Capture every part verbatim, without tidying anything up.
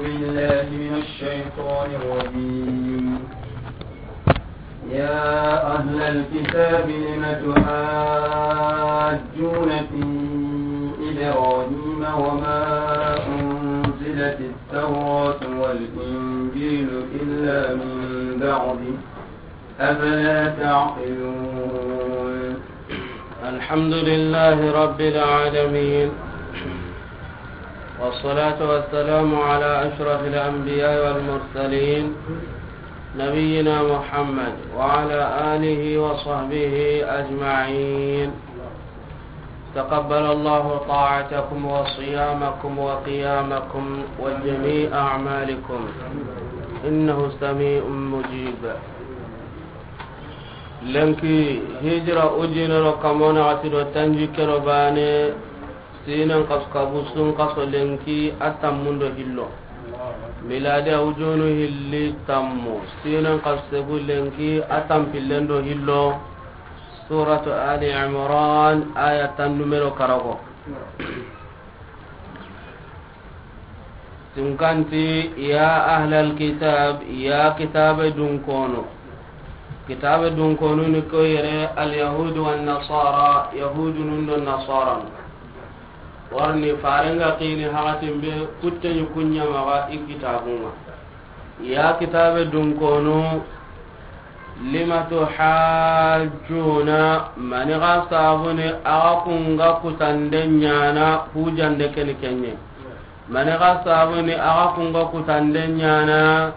بالله من الشيطان الرجيم. يا أهل الكتاب لم تحاجون في إبراهيم وما أنزلت التوراة والإنجيل إلا من بعده أفلا تعقلون؟ الحمد لله رب العالمين، والصلاة والسلام على أشرف الأنبياء والمرسلين، نبينا محمد وعلى آله وصحبه أجمعين. تقبل الله طاعتكم وصيامكم وقيامكم وجميع أعمالكم، إنه سميع مجيب. Lenki hijira ujinero kamona ati do tanji kero bane, sinen kas kabusun kaso lenki atammundo hillo. Miladi ujunu hilli tammu, sinen kas segu lenki atampillendo hillo. Suratu Ali Imran, aya tan numero karago. Tunkanti, ya ahlal kitab, ya kitabe dunkono. Kitabe dunkono ni ko yere al yahudu wan nasara, yahudu nun do nasara. Warni farenga kini hakatin be kutteni kunya maga i kitabunga. Ya kitabe dunkono, lima tuhajjuna, mani ga sabuni aga kunga kutande nyana hujande keni kenye. Mani ga sabuni aga kunga kutande nyana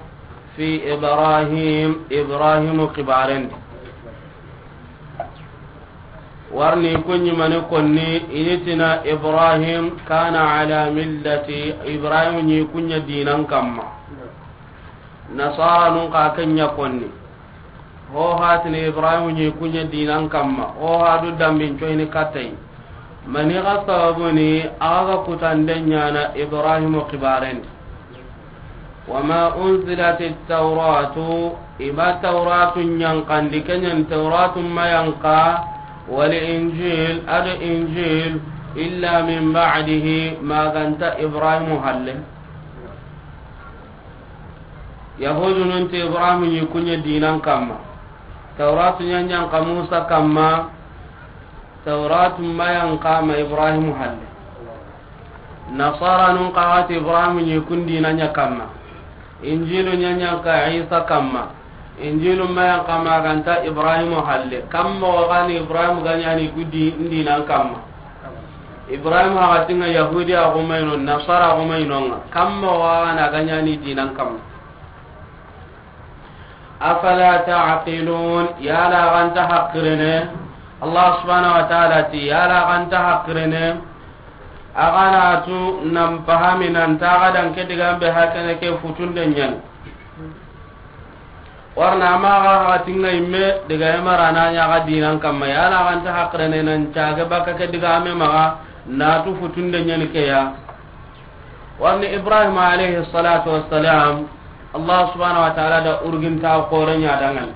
fi Ibrahim, Ibrahimu kibarendi. Warni kunyi mani konni, initina Ibrahim kana ala millati, Ibrahim ni kunya dinan kamma. Nasara nun ka kenya konni. Ho hatini Ibrahim ni kunya dinan kamma. Ho hadu dambin coyini katay. Mani ga sabuni aga kutande nyana Ibrahim kibarendi. وما أنزلت التوراة، i ma Tawratu ɲankandi, ke ɲa ni Tawratu ma yanka, والإنجيل، ado Injil, إلا من بعده، ma ganta Ibrahimu halle. Yahudunun ti Ibrahimu ɲi kuɲa dinan kamma. Tawratu ɲa ɲanka Musa kamma, Tawratu ma yanka ma Ibrahimu halle. Nasaranun xa ti Ibrahimu ɲi kun dina ɲa kamma. Injilu ɲa ɲanka Isa kamma. Injilu ma yanka ma ganta Ibrahimu halle. Kamma wa gani Ibrahimu ga ɲa ni ku di-, dinan kamma. Ibrahimu haga tinga Yahudi a gumayno, Nasara a gumayno nga. Kamma wa gana ga ɲa ni dinan kamma. Afala ta'qilun, yala ganta haqirene? Allah subhanahu wa ta'ala ti, yala ganta haqirene? Agana tu nan pahami nan taga dan ke digan be hakene ke futunde ɲani. Warna ma ga hatinga imme diga emara na ɲa ga dinan kamma, yala ganta haqirene nan caga baka ke diga me maga na tu futunde ɲani ke ya. Warni Ibrahim alayhi salatu wassalam, Allah subhanahu wa ta'ala da urginta kore ɲa dangan.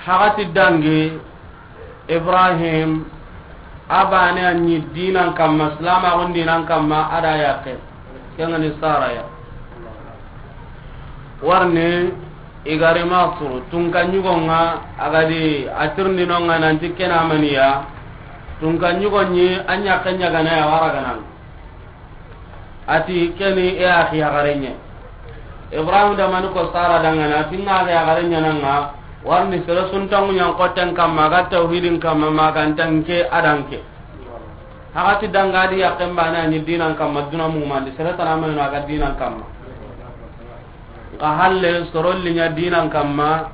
Hagati dangi Ibrahim, abane a ɲi dinan kamma, silamaxun dinan kamma, ada yakke. Kengani Sara ya. Warni igari masuru, tunka ɲugonga, agadi atirni nonga nanti kena maniya, tunka ɲugo ɲi, a ɲakke ɲagana ya wara ganan. Ati keni e axi yaxarenɲe. Ibrahim da mani ko Sara dangana, ati nga axi yaxarenɲe nanga, warni sere suntangu ɲan kotten kamma, ga tawhidin kamma, ma gantanke adanke. Hagati danga di yakken bane a ɲi dinan kamma, duna mumandi, sere tana mayno aga dinan kamma. Nka halle sorolli ɲa dinan kamma,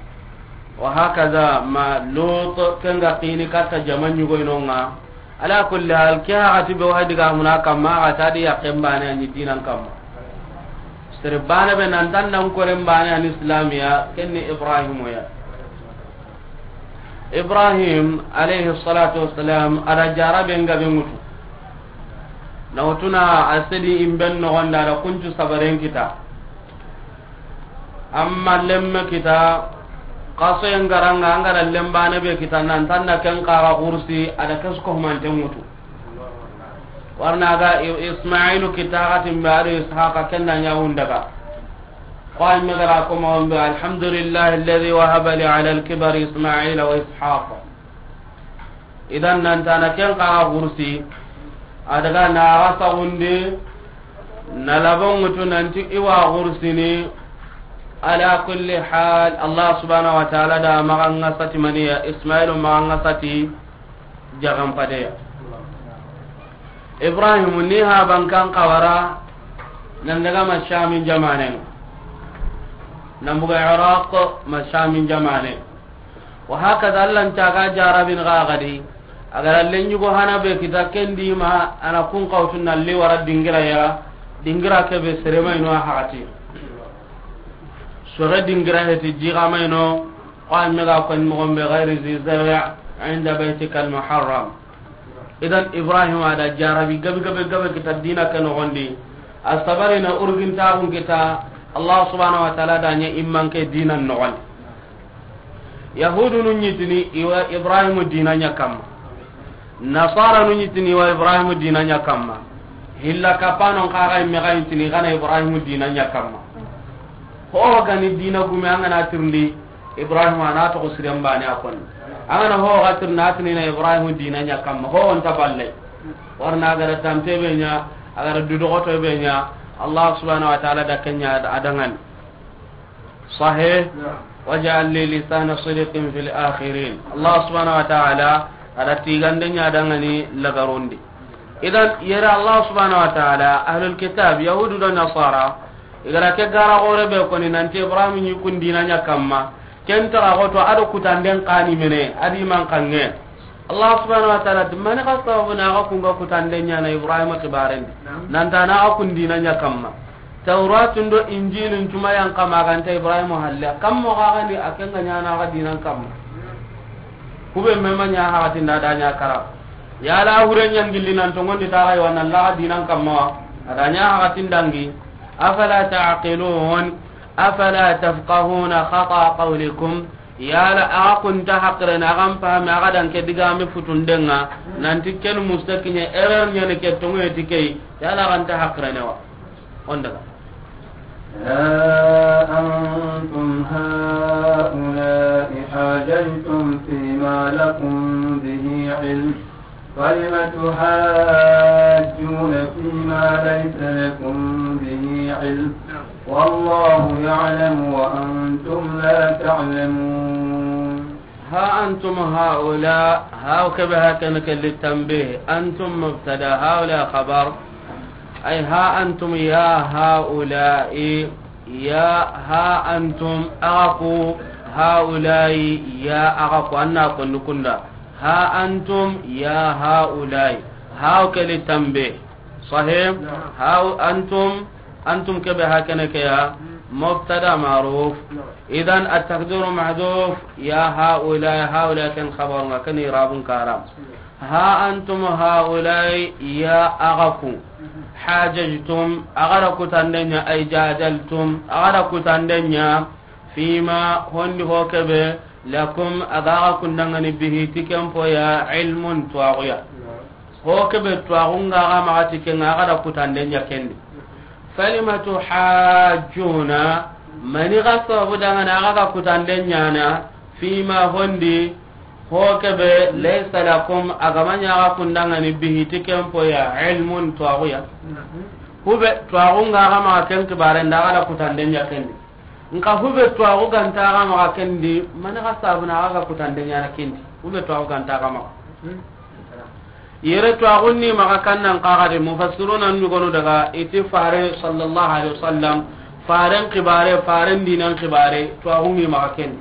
wa hakaza ma Lut kenga kini katta jama ɲugoyno nga. Ala kulli hal, ke hagati be wa diga muna kamma, hagata di yakken bane a ɲi dinan kamma. Sere bane be nan tan nan koren bane a ni islamiya, kenni Ibrahimu ya. Ibrahim alayhi salatu wassalam, ada jarabe nga be ŋutu. Na wutuna a sedi imben nogonda, ada kuncu sabaren kita. Amma lemme kita, kaso en garanga, an gara lembane be kita, nan tanna ken kaga kursi, ada kesko humante ŋutu. Warna ga I-, Ismailu kita xatin be a do Ishaqa, ken da ɲa wundaga. Ko ay me ga ra ko mo be, "Alhamdulillahi alladhi wahaba li ala al-kibari Ismaila wa Ishaqa." Idan nan tana ken xa gursi, a daga na ga saxundi, na labon ŋutu nanti i wa gursini. Ala kulli hal, Allah subhanahu wa ta'ala da maxa ŋa sati maniya, Ismailu maxa ŋa sati jagan padeya. Ibrahim ni ha bankan xawara, nan daga ma Shamin jamanen, nan buga Iraq, ma Shamin jamane. Wa hakaza, Allah nta ga jarabin ga gadi. A ga ra lenɲugo hana be kita ken di ma, a na kun xawtu na li wara dingira ya, dingira ke be sere ma ino a haxati. Sore dingira heti jiga ma ino, ko an me ga ko ni mo be ghairi zi zari' inda baytika al-muharram. Idan Ibrahim a da jarabi gabe, gabe, gabe kita dina ke noxon di. A sabari na urgin taxun kita, Allah subhanahu wa ta'ala da ɲa imman ke dinan noxon di. Yahudu nu ɲi tini i wa Ibrahimu dina ɲa kamma. Nasara nu ɲi tini i wa Ibrahimu dina ɲa kamma. Hilla kapanon xa ga i me ga ɲi tini i ga na Ibrahimu dina ɲa kamma. Ho ga ni dina gume an ga na tirindi Ibrahimu, a na toxo siren bane a konni. An ga na ho ga tirindi a tini na Ibrahimu dina ɲa kamma. Ho nta balle. Warna a ga ra tampe be ɲa, a ga ra dudoxoto be ɲa, Allah subhanahu wa ta'ala da ken ɲa a da ŋa ni. Sahih. Naam. Waj'al li lisana sidqin fil akhirin. Allah subhanahu wa ta'ala a da tigande ɲa a da ŋa ni lagarundi. Idan yere Allah subhanahu wa ta'ala, ahlul kitab, yahudu do nasara, i ga ra ke gara gore be ko ni nanti Ibrahim ɲi kun dina ɲa kamma. Ken ta ga to a do kutanden xa ni mene, a di man kanŋe. Allah subhanahu wa ta'ala ti, mani xa sababu na a ga kun ga kutande ɲaana Ibrahima xibaren di. Naam. Nan ta na a ga kun dina ɲa kamma. Tawratun do Injilun cuma yan xa ma ga nta Ibrahima halle. Kammo xa ga ni a ken ga ɲaana a ga dinan kamma. Kube me ma ɲa haxatin da, da ɲa kara. Yala hure ɲan gilli nan tongondi ta ga yi wa nan la a ga dinan kamma wa. A da ɲa haxatin dangi. Afala ta'qilun? Afala tafqahuna khata qawlikum? Yala a ga kun ta haqirene, a ga n pahami, a ga da n ke digame futundenŋa, nanti ken mustakiɲe, erreur ɲani ke, tonŋe ti ke yi, yala a ga n ta haqirene wa? On daga. ها أنتم هؤلاء حاججتم فيما لكم به علم، فلم تحاجون فيما ليس لكم به علم، والله يعلم وأنتم لا تعلمون. ها أنتم هؤلاء، هاو كبه هكذا للتنبيه، أنتم مبتدأ، هؤلاء خبر. أي ها أنتم يا هؤلاء، يا ها أنتم أغاكو، هؤلاء يا أغاكو، أنا كن كندا. ها أنتم يا هؤلاء. هاو كلي تنبيه. صحيح؟ نعم. هاو أنتم، أنتم كبه هكذا كيا. مم. مبتدأ معروف. نعم. إذن التقدير محذوف، يا هؤلاء، هؤلاء كان خبر ما كان إعراب كارم. نعم. ها أنتم هؤلاء يا أغاكو. مم. حاججتم، أغرا كتندنيا، أي جادلتم، أغرا كتندنيا. Fima, hondi ho kebe, lakum, a ga ga kun dangani bihi, ti ken po ya, ilmun, tuwaxu ya. Ho kebe tuwaxu nga ga maxa ti ken ŋa, a ga da kutande ɲa ken di. Falima tuhajjuna, mani ga sababu dangani a ga ga kutande ɲaana, fima hondi, ho kebe, laysa lakum, a ga ma ɲa a ga kun dangani bihi, ti ken po ya, ilmun, tuwaxu ya. Hube tuwaxu nga ga maxa ken kibaren da, a ga da kutande ɲa ken di. Nka hube tuwaxu ga nta a ga maxa ken di, mani ga sabu na a ga ga kutande ɲaana ken di. Hube tuwaxu ga nta a ga maxa. Yere tuwaxun ni maxa kan nan xa ga di, mufassiruna ɲugonu daga i ti Fare sallallahu alaihi wasallam, Faren kibare, Faren dinan kibare, tuwaxun ni maxa ken di.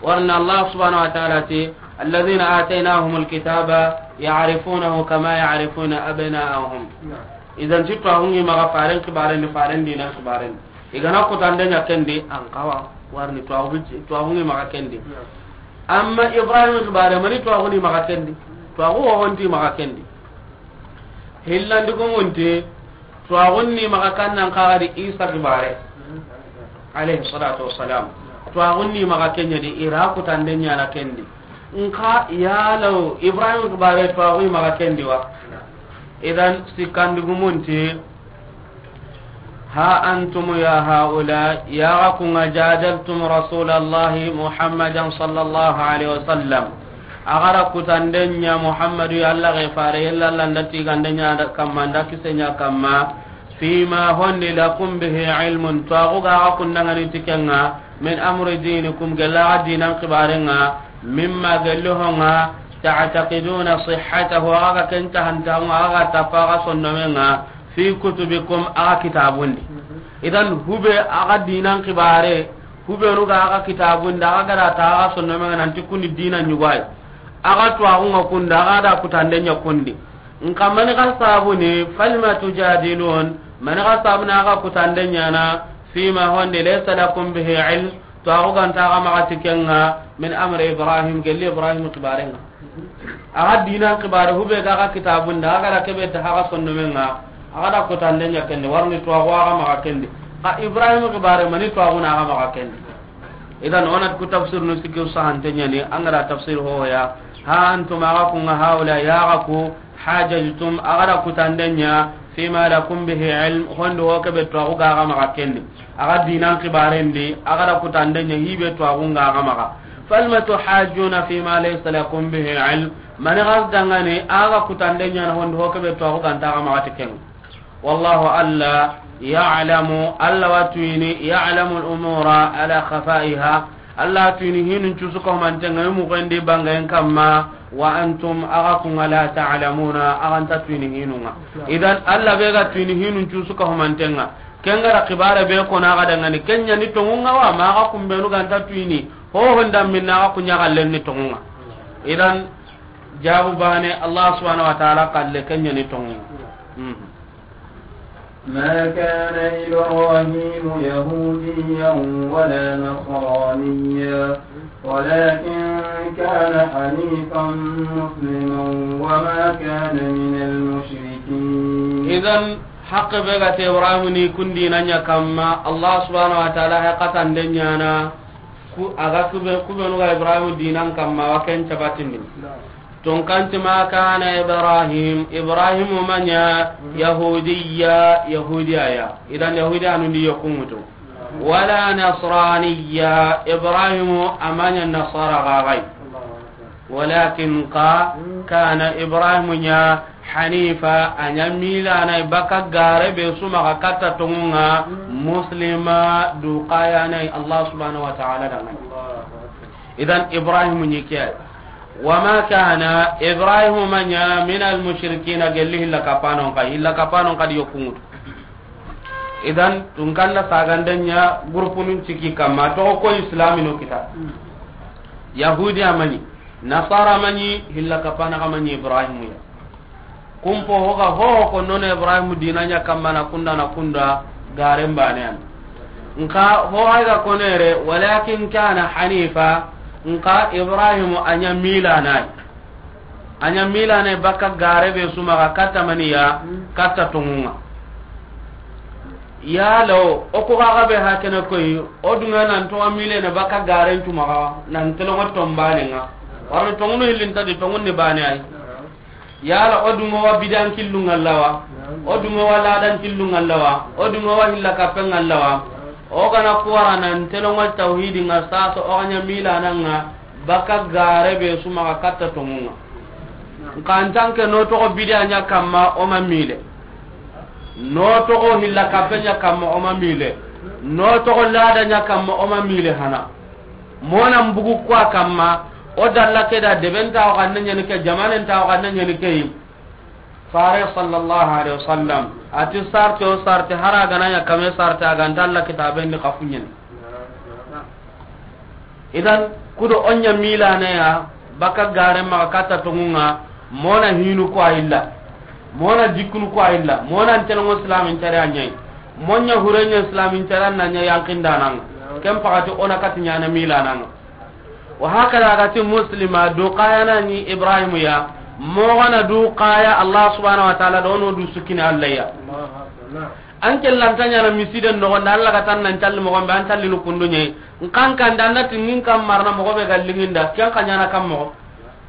Warna Allah subhanahu wa ta'ala ti, "Alladhina ataynahumul kitaba ya'rifunahu kama ya'rifuna abna'ahum." Idan ti tuwaxun ni maxa Faren kibaren di, Faren dinan kibaren di. I ga na kutande ɲa ken di, an xawa, warni tuwaxu bi, tuwaxu ni maxa ken di. Amma Ibrahim kibare, mani tuwaxu ni maxa ken di. Tuwaxu wo honti maxa ken di. Hillandi ko munti, tuwaxun ni maxa kan nan xa ga di Isa kibare. Alayhi salatu wassalam. Tuwaxun ni maxa ken ɲa di, i ra kutande ɲaana ken di. Nka yalaw, Ibrahim kibare tuwaxu ni maxa ken di wa? Idan, sikkandugumunti, ha antum ya haula, yaxa kunga jadaltum rasulallahi Muhammadan sallallahu alaihi wasallam. Axa ra kutanden ɲa Muhammadu ya, Alla ga fare, yalla Alla nda tiganden ɲa kamma, nda kisen ɲa kamma, fima hondi lakum bihi ilmun, tuwaxu ga axa kundangani ti kenga, min amri dinikum, gella axa dinan xibarenga, mimma, gelli honga, ta'taqiduna sihhatahu, axa ga ken tahantaxunga, axa ga tappa axa sondomenga, fi kutubikum, axa kitabundi. Idan, hube axa dinan xibare, hubenu ga axa kitabundi, axa ga da ta axa sondomenga nanti kundi dina ɲugayi. Axa tuwaxunga kunda, axa da kutanden ɲa kundi. Nka mani xa sabuni, falima tujadilun, mani xa sabuni axa kutanden ɲana, fima hondi laysa lakum bihi ilm, tuwaxu ga nta axa maxa ti kenga, min amri Ibrahim, gelli Ibrahim xibarenga. Axa dinan xibare, hube ga axa kitabunda, axa ga da kebe ta axa sondomenga, axa da kutanden ɲa kendi, warni tuwaxu axa maxa kendi. Xa Ibrahim xibare, mani tuwaxuna axa maxa kendi. Idan, onat ku tafsir nu sikki sahante ɲani, angara tafsir hoya. Ha antum, axa kunga, haula, yaxa ku, hajajtum, axa da kutanden ɲa, fima lakum bihi ilm, hondi ho kebe tuwaxu ga axa maxa kendi. Axa dinan xibarendi, axa da kutanden ɲa, hibe tuwaxunga axa maxa. Falima tuhajjuna fima laysa lakum bihi ilm, mani xa dangani, axa kutanden ɲana hondi ho kebe tuwaxu ga nta axa maxa ti kenga. Wallahu, Alla, ya'lamu, Alla wa tuyini, ya'lamu al-umura ala khafaiha. Alla tuyini hinun cusu ka humantenga, i muxendi bangayen kamma, wa antum, axa kunga, la ta'lamuna, axa nta tuyini hinunga. Idan, Alla be ga tuyini hinun cusu ka humantenga, kenga da xibare be kona axa dangani, ken ɲani tongunga wa, ma axa kumbenu ga nta tuyini, ho honda minna axa kuɲa xallen ni tongunga. Idan, jabu bane, Allah subhanahu wa ta'ala xalle ken ɲani tongunga. Mhm. ما كان إبراهيم يهوديا ولا نصرانيا، ولكن كان حنيفا مسلما وما كان من المشركين. Idan, haqqe be ga ti Ibrahim ni kun dinan ɲa kamma, Allah subhanahu wa ta'ala he xatande ɲana, ku, a ga kube, kubenu ga Ibrahim dinan kamma, wa ken cabatindi. Tunkanti, ma kana Ibrahim, Ibrahim ma ɲa Yahudiya, Yahudiya ya. Idan Yahudiya nun di yokungutu. Wala Nasraniya, Ibrahim a ma ɲa Nasara gagai. Walakin ka, kana Ibrahim ɲa Hanifa, a ɲa milana baka gare be suma ga katta tongunga, Muslima, du kayana Allah subhanahu wa ta'ala dangan. Idan Ibrahim ɲi ke. Wa ma kana, Ibrahim ma ɲa, min al mushrikina, gelli hilla kapanon ka, hilla kapanon ka di yokungutu. Idan, tunkanda saganden ɲa, gurpunun ciki kamma, to ko islamino kita. Yahudiya ma ɲi, Nasara ma ɲi, hilla kapana ka ma ɲi Ibrahim ya. Kumpo hoga hoho ko nono Ibrahim dina ɲa kamma na kunda na kunda garen bane an. Nka ho ay ga konere, walakin kana Hanifa, nka Ibrahim a ɲa milanai. A ɲa milanai baka gare be suma ga katta maniya, katta tongunga. Yalo, o ko ga be hakene koy, o dunga nan to milene baka garen tuma ga, nan telongo tombane nga. Warno tongunu hillinta di tongunni bane ay. Yala o dungo wa bidan killu ngallawa, o dungo wa ladan killu ngallawa, o dungo wa hilla kapen ngallawa. O gana kuwara nan telongo tawhidi nga saso o ganya milananga baka gare be suma ga katta tongunga. Nka antanke no togo bidan ɲa kamma o ma mile. No togo hilla kapen ɲa kamma o ma mile. No togo ladan ɲa kamma o ma mile hana. Mona mbugu kwa kamma, o dalla ke da debenta o kanne ɲani ke, jamanenta o kanne ɲani ke yi. Fare sallallahu alaihi wasallam, ati sarte o sarte, hara gana ɲa kame sarte, a ganta Allah kitaben di kafuɲen. Idan, kudo o ɲa milana ya, baka gare ma katta tongunga, mona hinu ko ayilla. Mona jikkunu ko ayilla. Mona ntelongo islamin tare a ɲai. Monya hurenya islamin tare na ɲa yankindananga. Ken pakati ona kati ɲana milananga. Wa hakada gati Muslima, du kayana ni Ibrahim ya. Mogana du kaya Allah subhanahu wa ta'ala do no du sukini Allah ya. An ke lanta ɲana misiden nogonda, Allah ga tan nan calli mogon be, an calli nu kundu ɲe. Nkan kan da nati ngin kam marna mogo be ga linginda, ken ka ɲana kam mogo.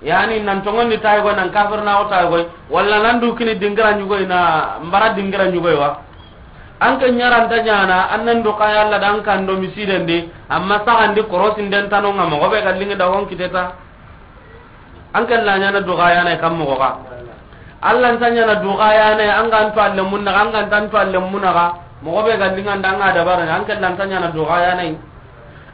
Yani, nan tongondi tayi goy, nan kafir na o tayi goy, walla nan du kini dingira ɲugoy, na mbara dingira ɲugoy wa. An ke ɲaranta ɲana, an nan du kaya Alla da an kan do misidendi, amma saxandi korosinden tanonga, moxo be ga lingi da hon kiteta. An ke la ɲana du kaya na kam moxo ga. Alla nta ɲana du kaya na, an ga nto alle munna, an ga nta nto alle munna ga, moxo be ga linga nda an ga dabara, an ke la nta ɲana du kaya na.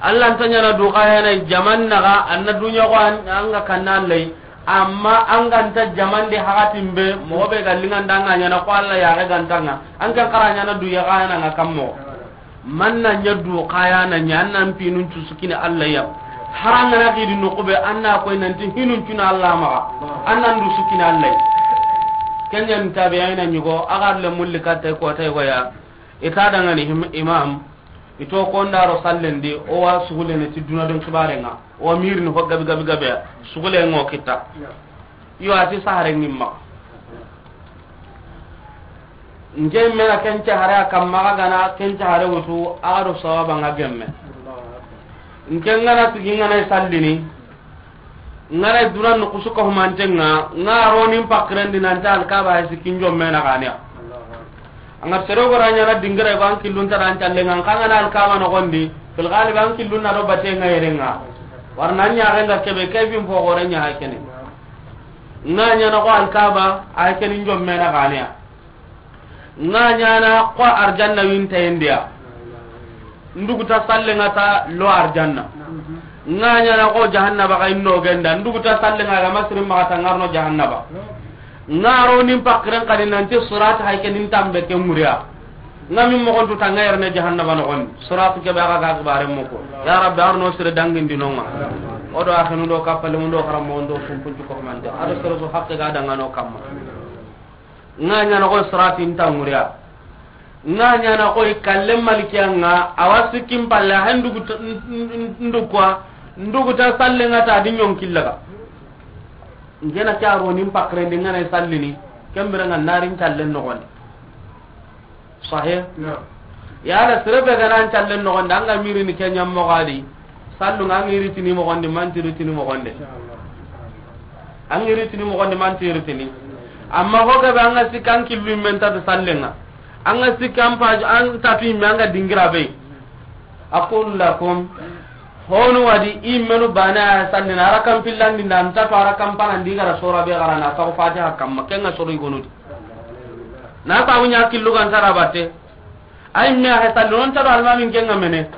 Alla nta ɲana du kaya na jaman naga, anna dunya ko an, an ga kanna Alla yi. Amma an ga nta jaman de hakatin be, moxo be ga linga nda an ga ɲana ko Alla ya ga gantanga. An kan kara ɲana du ya ga na nga kammo. Man na ɲa du kaya na ɲa, an nan pinun cu sukini Alla ya. Haranga na gidi no ko be, an na koy nanti hinun cuna Alla maxa. An nan du sukini Alla ya. Kenya ntabe ayna ɲugo, agar le mulli katta ko tay goya. Ita dangani him-, imam. Ito kondaro sallendi, o wa sugulene ti duna don kibarenga. O wa mirini ho gabi gabi gabe, sugule ngo kita. Yo, ati sahare ngimma. Nge mena kenca hare a kamma ga gana kenca hare wutu, a ga do sawaba nga gemme. Nke ngana tigi ngana sallini. Ngana duna no kusuka humantenga, nga ronin pakirendi nanta Alkaba ay sikin jomme na ganiya. Anga sero gora ɲana dingira ba an killun taran talle nga, kanga na Alkaba no gondi, fil ghalib an killun na do bate nga yerenga. Warna ɲa renga kebe kevin fo gore ɲa hakene. Nga ɲana ko Alkaba ay kenin jomme na ganiya. Nga ɲana ko arjanna winta indiya. Nduguta sallenga ta lo arjanna. Nga ɲana ko jahannaba ga inno genda. Nduguta sallenga ga masirin maxa ta ngarno jahannaba. Nga ro nin pakiren kadi nanti surat hay ke nin tambe ke muriya. Nga min moxon tu tanga yerne jahannaba no gon. Surat ke ba ga ga bare moko. Ya Rabbi, arno sire dangin dinonga. Odo akhinu do kapale mundo karamo ndo sumpun ko mande. Ado sere so hakke ga dangano kamma. Nga ɲana ko siratin tanguriya. Nga ɲana ko i kalle malikiya nga, awa sikkin palle, hay ndugu ta, n-, n-, n-, ndugu kwa, ndugu ta salle nga ta di ɲon killaga. Ngena kya ro nin pakre ndi ngana sallini, kembere nga narin kallen no gonde. Sahih? Naam. Yala sere be ga nan callen noxondi, an ga mirini ke ɲa moxo di. Sallu nga an ga iri tini moxondi, man ti iri tini moxonde. An ga iri tini moxondi, man ti iri tini. Amma ho gabe an ga sikki an killu men ta sallenga. An ga sikki an paju, an ta tu me an ga dingira be. Aqul lakum, honu wadi imenu bana sallina, arakan pillandi nda, an ta tu arakan panandi gara sora be gara na, sa Fatiha kamma, kenga soro igonudi. Na sabu ɲa killu gan tara batte. Ay me a sallu non tara almamin kenga mene.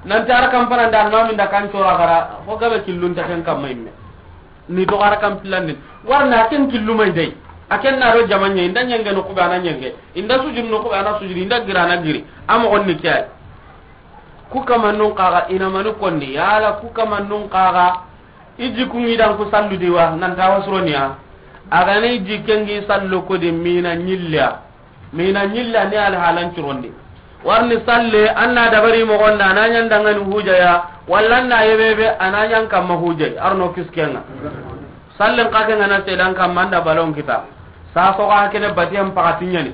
Nan tara kampana nda almamin da kan cora gara. Ho gabe killun ta ken kamma imme. Ni to gara kan pillandin. Warna ken killu mai dai. Aken na ro jamanya inda nyenge no kubana nyenge. Inda sujud no kubana sujud inda gira na giri. Amo onni kiyai. Ku kamannun kaga ina mani kondi. Yala ku kamannun kaga. I jikungi dan ku sallu di wa, nan ta wasuroniya. A ga na i jikengi sallu ko di mina ɲilliya. Mina ɲilliya ni alhalan curondi. Warni salle, an na dabari mogonda, a na ɲan dangani hujaya, walla an na yebebe, a na ɲan kamma hujay, arno kiskenga. Sallen ka ke ngana sedan kamma an da balon kita. Sa so ga kene batiyan pakati ɲani.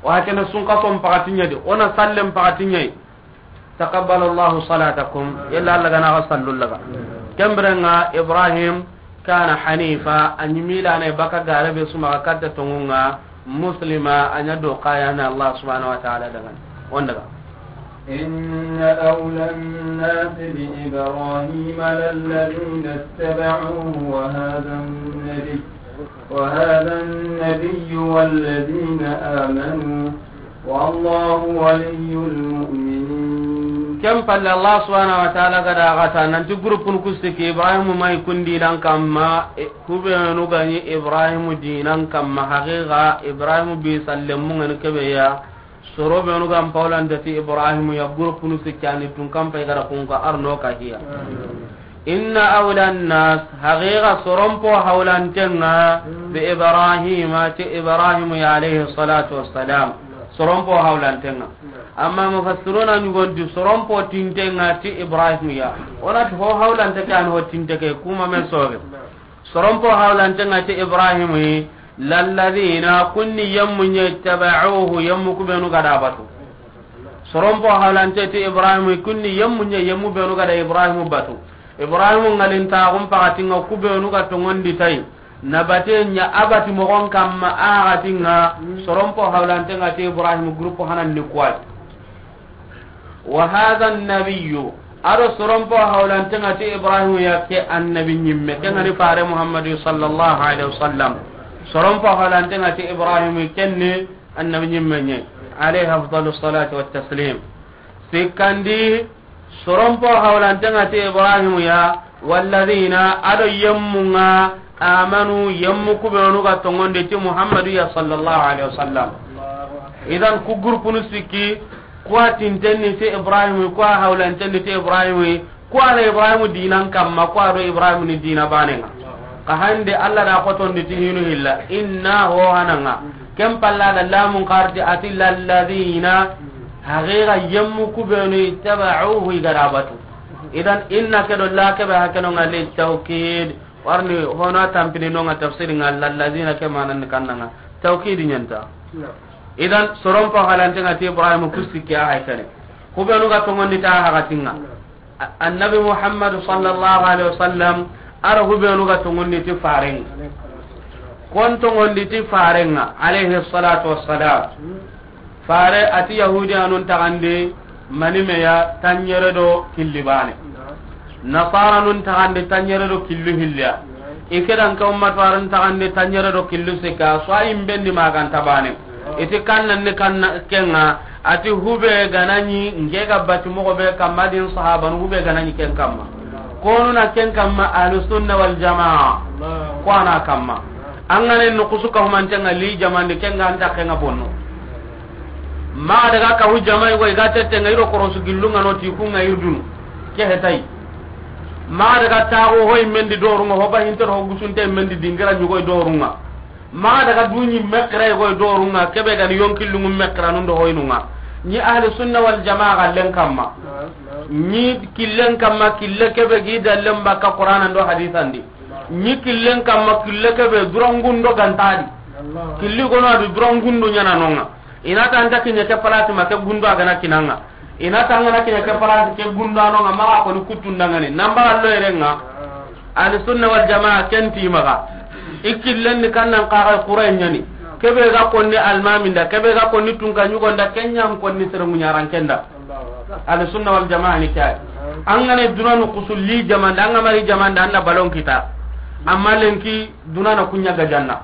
Wa kene sunka son pakati ɲadi. Ona sallen pakati ɲai. Taqabbala Allahu salatakum. Yalla Allah gana ga sallu laga. Kembirenga Ibrahim kana hanifa, a ɲi milana baka gare be suma ga katta tongunga, muslima, a ɲa do kayana Allah subhanahu wa ta'ala dangan. On daga. إن أولى الناس بإبراهيم للذين اتبعوه وهذا النبي، وهذا النبي والذين آمنوا والله ولي المؤمنين. Ken palle Allah subhanahu wa ta'ala ga da gata nanti groupe nu ku siki Ibrahim mai kundi lan kamma, e, kubenu gani Ibrahim dinan kamma, haqiqa Ibrahim bi sallemun ngani kebe ya. Soro benu gan paulante ti Ibrahim ya, groupe nu sikkani tun kan pay gara kun ka arno ka hiya. Inna awla nnas, haqiqa soronpo hawlantenga, bi Ibrahima, ti Ibrahim ya alayhi salatu wassalam. Soronpo hawlantenga. Amma mufassiruna ɲugonti soronpo tintenga ti Ibrahim ya. Onati ho hawlante ke an ho tinte ke kuma men soge. Soronpo hawlantenga ti Ibrahim yi, lalladina kunni yemmu ɲa tabauhu, yemmu kubenu gada batu. Soronpo hawlante ti Ibrahim yi, kunni yemmu ɲa yemmu benu gada Ibrahim batu. Ibrahimu ŋalintaxun paxatinŋa, ku benu ga tonŋondi ti a yi, nabate ɲa a bati moxon kamma a haxatinŋa. Soronpo hawlantenŋa ti Ibrahimu, groupe hanan ni kuwai. Wa hadha nabiyyu, a do soronpo hawlantenŋa ti Ibrahimu ya, ke annabi ɲimme, ke ŋa ni fare Muhammadu sallallahu alaihi wasallam. Soronpo hawlantenŋa ti Ibrahimu, ken ni annabi ɲimme ɲa, alayhi afdalu salatu wa taslim. Sikkandi, soronpo hawlantenŋa ti Ibrahimu ya, walladhina, a do yemmu ŋa, amanu, yemmu ku benu ga tonŋondi ti Muhammadu ya sallallahu alaihi wasallam. Idan ku groupenu sikki, ku wa tintenni ti Ibrahimu, ku wa hawlantenni ti Ibrahimu, ku wa na Ibrahimu diinan kamma, ku wa do Ibrahimu ni diina baane ŋa. Ka hande Allah da xotondi ti hinu hilla, inna ho hananga. Ken palla da lamun karti a ti lalladhina, haqiqa yemmu ku benu ittaba'uhu, i ga da batu. Idan inna ke do la ke be hakeno ŋa li tawkid. Warni hono tampini no ŋa tafsiri ŋa lalladhina ke manan kannanga. Tawkid ɲa nta. Idan soronpo hawlantenŋa ti Ibrahimu ku sikki a haykane. Ku benu ga tonŋondi ti a haxatinŋa. A-, annabi Muhammadu sallallahu alaihi wasallam, a do ku benu ga tonŋondi ti farenŋa. Kon tonŋondi ti farenŋa, alayhi salatu wassalam. Fare a ti Yahudiyanun taxandi mani me ya, tanɲere do killi baane. Nasaranun taxandi tanɲere do killu hilliya. I ke dan ke ummatu aran taxandi tanɲere do killu sikka, so ayi mbendi maganta baane. I ti kannan ni kanna kenŋa, a ti hube ga na ɲi, nke ga bati moxo be kamma din sahabanu hube ga na ɲi ken kamma. Konu na ken kamma ahlu sunna wal jamaa. Ko a na kamma. An ga ne nukusu ka humantenŋa li jamandi kenŋa anta kenŋa bonno. Ma daga ka hu jamai go i ga tettenŋa i do korosu gillunŋa no ti kunŋa irdunu. Ke hetay. Ma daga taxu hoy mendi dorunŋa, ho ba hinter ho gusunte mendi dingira ɲugoy dorunŋa. Ma daga duɲi mekira i goy dorunŋa, ke be ga ni yonkillunŋu mekira nun do hoynunŋa. Ɲi ahlu sunna wal jamaa ga len kamma. Ɲi killen kamma, kille ke be gi dallen bakka Qur'anan do hadisandi. Ɲi killen kamma, kille ke be durangundo gantadi. Killi gono adu durangundo ɲana nonŋa. I na ta anta kiɲe ke palati ma ke gundo a ga na kinanŋa. I na ta an ga na kiɲe ke palati ke gundo a nonŋa, maxa koni kuttundangani. Namba allo yerenŋa. Ahlu sunna wal jamaa ken ti maxa. I killen ni kannan kaxa Qur'an ɲani. Ke be ga konni almaminda, ke be ga konni tunka ɲugonda, ken ɲan konni sere muɲarankenda. Ahlu sunna wal jamaa ni kay. An ga ne duna nukusu li jamanda, an ga mari jamanda, an na balon kita. Amma lenki duna na kuɲa gajanna.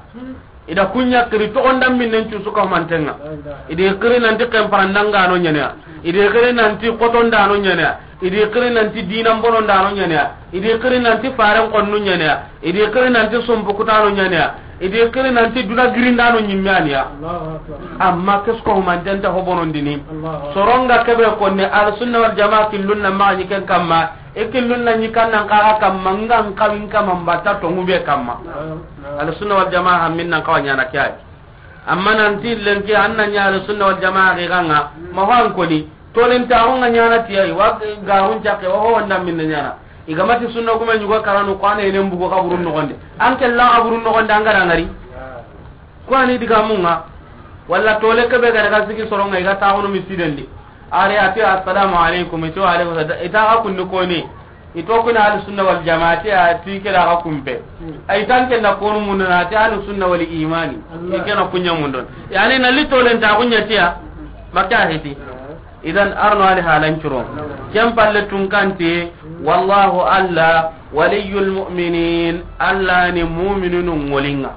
I da kuɲa kiri toxondan minnen cusu ka humantenŋa. I di kiri nanti kemparandangano ɲaneya. I di kiri nanti xotondano ɲaneya. I di kiri nanti dinan bonondano ɲaneya. I di kiri nanti faren xonnu ɲaneya. I di kiri nanti sumpukutano ɲaneya. I di kiri nanti duna girindano ɲimme aniya. Amma kesko humantenta ho bonondini. Soronga kebe konne, al sunna wal jamaa killun na maxa ɲi ken kamma. I killun na ɲi kannan kaxa kamma, ngan kawin kamma mbatta tongu be kamma. Al sunna wal jamaa hammin nan kawa ɲana kiyai. Amma nanti lenki an na ɲa al sunna wal jamaa ke ganga, ma ho an koni. Tolen ta ho nga ɲana tiyai, wa garun cakke, wa ho wanda minne ɲana. I ga mati sunna kuma ɲugo karanu, ko ane ene mbugo kaburun nogonde. An ke la kaburun nogonde, an ga da ngari. Ko ani diga munga. Walla tole ke be ga daga sigi soronga, i ga taxunu misidendi. Are ati assalamu alaikum, ito alaikum salam. Ita ga kunni koni. Ito kuna ahlu sunna wal jamaa, ti a ti ke da ga kumpe. Ay tan ke na konu munna, ti ahlu sunna wal imani. Ike na kunya mundon. Yani na li tolen ta kunya tiya. Maka hiti. Idan arno ali halan curo. Ken palle tunkanti, wallahu alla waliyul mu'minin, alla ni mu'minunu ngolinga.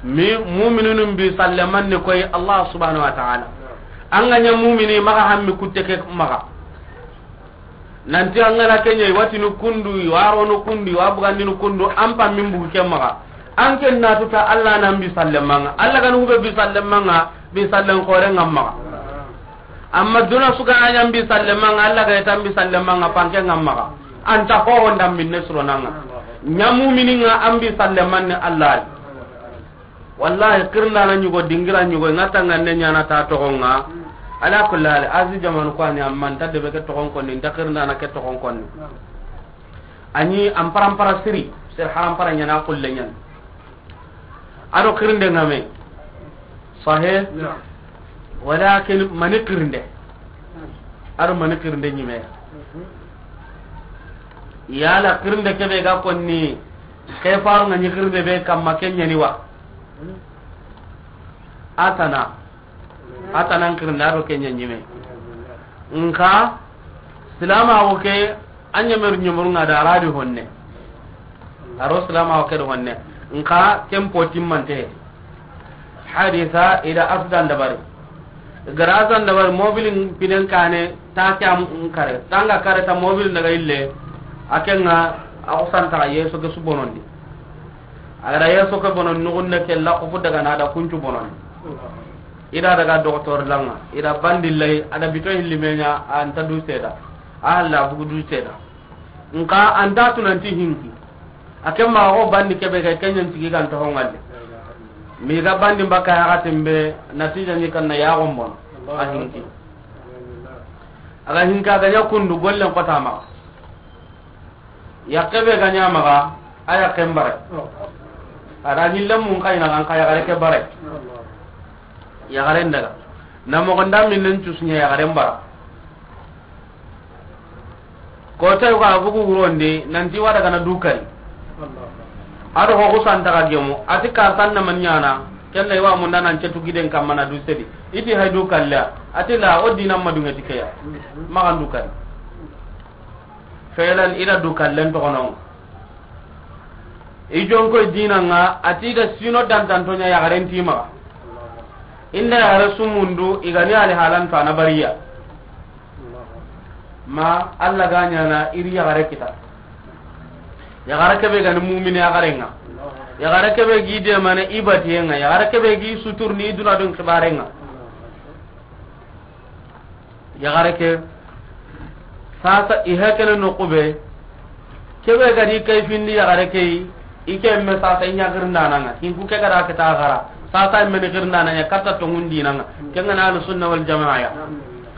Mi mu'minunu bi sallaman ni koy Allah subhanahu wa ta'ala. An ga ɲa mu'mini maxa hammi kutte ke maxa. Nanti an ga na ke ɲa, i wa tinu kundu, i wa rono kundu, i wa bugandinu kundu, an pa min bugu ke maxa. An ken na tuta Allah nan bi sallemanga. Allah ga nu be bi sallemanga, bi sallen xore ngam maxa. Amma duna suga a ɲa bi sallemanga, Allah ga tan bi sallemanga, panke ngam maxa. Anta ho honda minne suronanga. Ɲa mu'mininga an bi sallemanne Allah. Wallahi, kirindana ɲugo, dingira ɲugo, i ŋa tangande ɲana ta toxonga. Ala kulli hal, Azi jamanu ko ani, amma nta debe ke toxon konni, nta kirindana ke toxon konni. Ani ampara ampara siri, sir harampara ɲana kulle ɲan. Ado kirinde ngame. Sahih? Walakin mani kirinde. Ado mani kirinde ɲime. Yala xirinde kebe ga konni, ke faru nga ɲi xirinde be kamma, ke ɲani wa? A tana. A tana n xirinde a do ke ɲa ɲime. Nxa silamaxu ke, a ɲemeru ɲemeru nga da a ra di honne. A ro silamaxu ke do honne. Nxa ken po timmante. Hadisa i da accident dabari. Gara accident dabari, mobilin pinen kane, ta ke am kare. Tanga kare ta mobilin daga ille. A ke nga, a ko santa ye so ke su bonondi. A gara ye so ke bonon nugunne ke la ko fu daga na da kuncu bonon. I da daga docteur langa. I da bandi lay, a da bito hilli me ɲa, a nta du seda. A halla bugu du seda. Nxa a nta tunanti hinki. A ke ma o bandi kebe ke, ke ɲan tigi kan to hongalle. Mi ga bandi mbaka ya gatimbe, natija ni kan na ya gombon. A hinki. A ga hinka ga ɲa kundu gollen kota ma. Yakke be ga ɲa maxa, a yakken bare. A da ɲille mun kayina kan ka yaxare ke bare. Yaxaren daga. Na moxo nda min nen cusuɲa yaxaren bara. Ko tay ko a bugu wurondi, nanti wa daga na dukari. A do xo ku santa ga gemu, a ti kartan na man ɲana, ken na i wa munda nan cetu giden kamma na du sedi. I ti hay dukalla, a ti la o dinan ma dunge ti ke ya. Maxa n dukari. Felan i da dukallen toxonon. I jonkoy dinanga, a ti da sino dantantoɲa yaxaren ti maxa. Inda yaxare sumundu, i ga ni ali halan to a na bariya. Ma Allah ga ɲana i ri yaxare kita. Yaxare kebe ga ni mumini yaxarenga. Yaxare kebe gi demane i batiyenga. Yaxare kebe gi suturni i duna dun xibarenga. Yaxare ke, sasa i hakene no kube. Kebe ga di kayfindi yaxare ke, i ke me sasa i ɲa girndananga. Hinku ke ga da ke ta xara. Sasa i me ni girndananga, katta to ngundinanga. Ke nga na Ahlus Sunna wal Jamaa ya.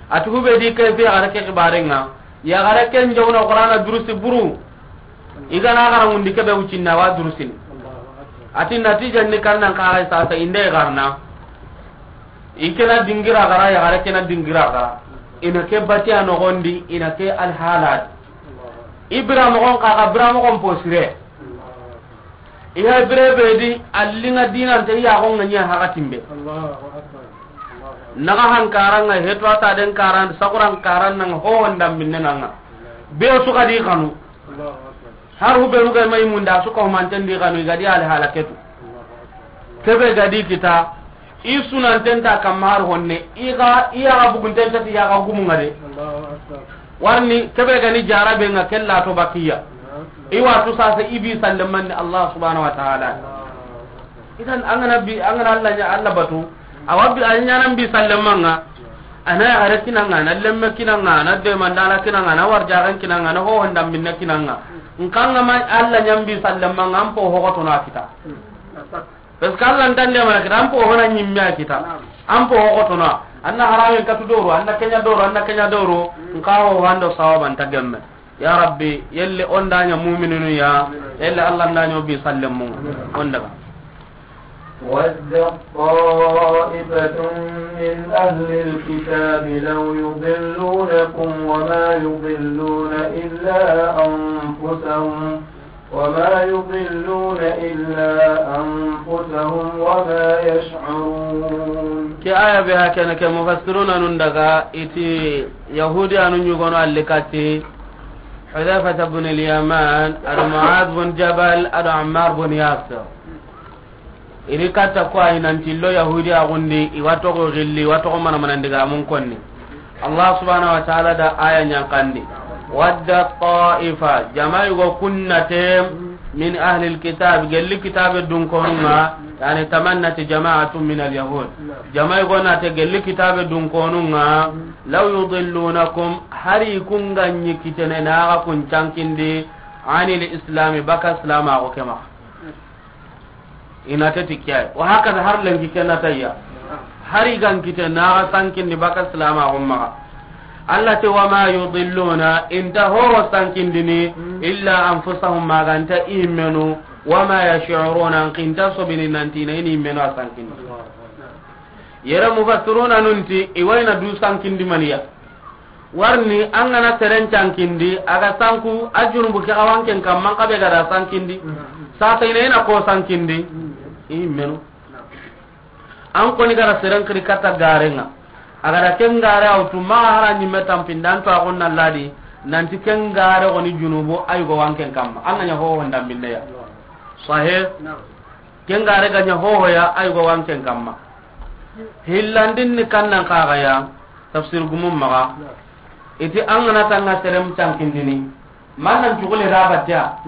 A ti kube di kayfi yaxare ke xibarenga. Yaxare ke n jawna Qur'ana durusi buru. I ga na xara ngundi kebe wucinna wa durusini. A ti natija ni kannan ka ga sasa inde garna. I ke na dingira gara, yaxare ke na dingira gara. I na ke batiya noxondi, i na ke alhaladi. I bira moxon ka, ka bira moxon posire. I ha bire be di, allinga dinante i yaxon nga ɲa hakatimbe. Naga hankaranga, hetu ata den karan, sakuran karan nanga, ho wanda minne nanga. Be su ga di kanu. Har hubenu ga mai munda su ko manten di kanu, i ga di ali halaketu. Kebe ga di kita, i sunanten ta kamma har honne, i ga, i ya ga bugunten ta ti ya ga gumu ngade. Warni, kebe ga ni jarabe nga kella to bakiya. I wa tu sasa i bi sallemanni Allah subhanahu wa ta'ala. Idan an ga na bi, an ga na Allah ɲa, Allah batu. Awa bi, a ɲanan bi sallemanga. Ana yaxare kinanga, na lemme kinanga, na demandana kinanga, na warjaxan kinanga, na hohon dambinne kinanga. Nkanga ma Allah ɲan bi sallemanga, an po hoxotono a kita. Parce que Allah ntan demana kita, an po hona ɲimme a kita. An po hoxotono. Anna haramen katu doro, anna kenya doro, anna kenya doro. Nka ho hando sawaban ta gemme. Ya Rabbi, yelle on da ɲa mu'mininu ya, yelle Allah nda ɲa o bi sallemu. On daga. ودت طائفة من أهل الكتاب لو يضلونكم وما يضلون إلا أنفسهم، وما يضلون إلا أنفسهم وما يشعرون. Ke aya be hakene ke mufassiruna nun daga iti Yahudi anu ɲugono allikati Hudhayfata bun al-Yaman, ado Mu'adh bun Jabal, ado Ammar bun Yasir. Iri katta ko ay nanti lo Yahudi a gundi, i wa toxo gilli, i wa toxo mana mana ndiga mun konni. Allah subhanahu wa ta'ala da aya ɲankandi. Wadda ta'ifa, jama yugo kunnate, min ahli alkitab, gelli kitabe dunkonunga, yani tamannat jama'atun min alyahud. Jama yugo nate gelli kitabe dunkonunga, law yudillunakum, hari kunga ɲi kitene naga kun cankindi, anil islami, baka islama ko kema. Ina teti kiyai. Wa hakaza har lenki kena tayya. Hari gan kite naga sankindi baka silama gomma. Allah te wama yudilluna, inta horo sankindini, illa anfusahum, maganta imenu, wama yash'uruna, kinta sobini nantina ini imenu a sankindi. Yere mufassiruna nunti, iwayna du sankindi maniya. Warni an ga na seren cankindi, a ga sanku, a junubu ke xawanken kamma, an xa be ga da sankindi. Sasa i na, i na ko sankindi. I menu. An koni ga da seren xiri katta garenga. A ga da ken gare a wutu, maxa hara ɲimme tampinda, an to a xonna ladi, nanti ken gare xoni junubu, a yugo wanken kamma. An ga ɲa hoho ndambinne ya. Sahe. Ken gare ga ɲa hoho ya, a yugo wanken kamma. Hillandin ni kannan kaga ya, tafsir gumum maga. Iti an ga na tanga serem cankindini. Man nan cugule da battiya.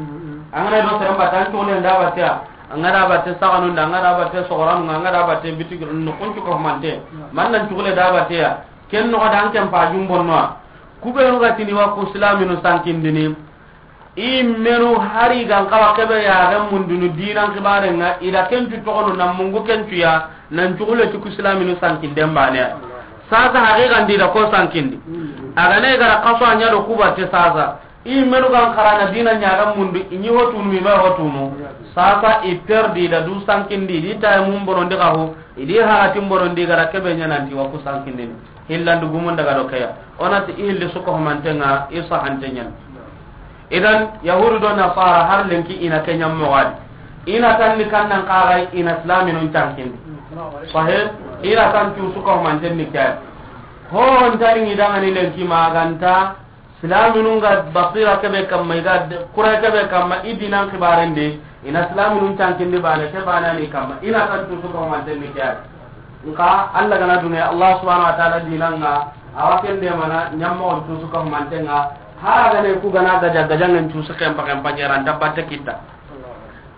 An ga na do serem batta, an cugule da battiya. An ga da batte saganun da, an ga da batte sogoranun, an ga da batte bitigirun, no kun cuka humante. Man nan cugule da battiya. Ken no da an ken pa jumbonno. Kubenu ga tini wa ku islaminu sankindini. I menu hari gan kawa kebe ya ga mundunu dinan kibare nga, i da kencu togono na mungu kencu ya, nan cugule cuku islaminu sankinden bane. Sasa haqiqan di da ko sankindi. A ga ne gara kaso anya do kuba te sasa. I menu gan karana dina ɲaga mundu, i ɲi hotunu, i ma hotunu. Sasa i perdi da du sankindi, di tay mum bonondi kahu, i di haratin bonondi gara kebe ɲananti wa ku sankindini. Hillandu gumun daga do keya. Onati i hilli suko humantenga, i sahante ɲan. Idan, Yahudu do Nasara har lenki i na ke ɲan mogadi. I na tanni kannan kagai i na islaminun cankindi. Sahe, i na tan tu suko humanten ni keya. Ho, on tani ngi dangani lenki maganta, Silaminun ga basira kebe kamma, i ga de-, kura kebe kamma, i dinan kibarende, i na silaminun cankindi bane, ke bane ni kamma, i na kan tusu ko manten ni kya. Nka Allah gana dunge, Allah subhanahu wa ta'ala dinanga, awa kende mana, nyamma on tusu ko mantenga, hara gane ku gana gaja, gaja ngen tusu kempa, kempa jeran, tabbate kita.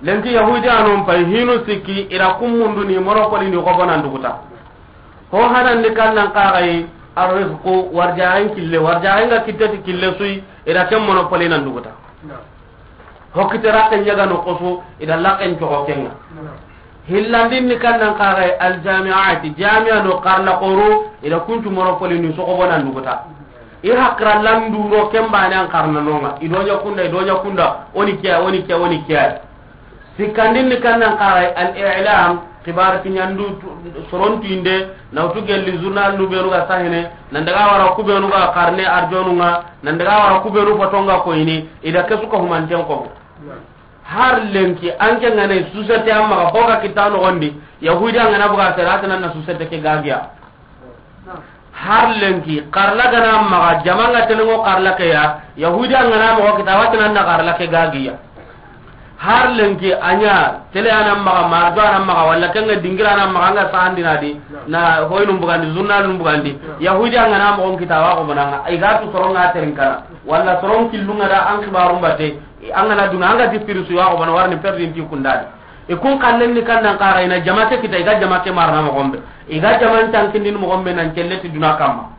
Lenki Yahudi anon pay, hinu sikki, ira kummundu ni, monopoli ni, ko bonan duguta. Ho hanandi kannan kaxayi, arrisqu, warjaxen kille, warjaxen ga kitteti kille suyi, ida ken monopoli nan duguta. Ho kite rakke ɲaga no kosu, ida lakken coxo kenga. Hillandin ni kannan kaxayi, aljamiati, jamia no karla koru, ida kuncu monopoli ni soxobo nan duguta. I hakra landuro ken bane an karna nonga, ido ɲa kunda, ido ɲa kunda, oni kiya, oni kiya, oni kiya. Sikkandin ni kannan kaxay, al-i'lam, xibar kiɲandu tu-, sorontuinde, na wutu gelli journal nu benu ga sahene, nan daga wara ku benu ga karne arjonunga, nan daga wara ku benu fotonga koyini, ida kesu ka humanten kobo. Har lenki, anke ngane société amma ga hoga kita nogondi, Yahudi angana buga sera, atanan na société ke gagiya. Har lenki, karla gana maga, jamanga telengo karla ke ya, Yahudi angana maga, kita watinan na karla ke gagiya. Har lenki, anya, tele ana maga, mardo ana maga, wala kenga dingira ana maga, anga sandina di, na hoynum bugandi, journal num bugandi. Yahudi angana maga, kita wa ko bananga, ay gatu soronga terinkana, wala soron killunga da an kibarum bate, angana dunga, anga di pirisu wa ko bana warni perdi nti kundadi. I kun kallen ni kannan kaxa ina jama ke kita, i ga jama ke marana moxon be. I ga jama n tankindini moxon be nan celle ti duna kamma.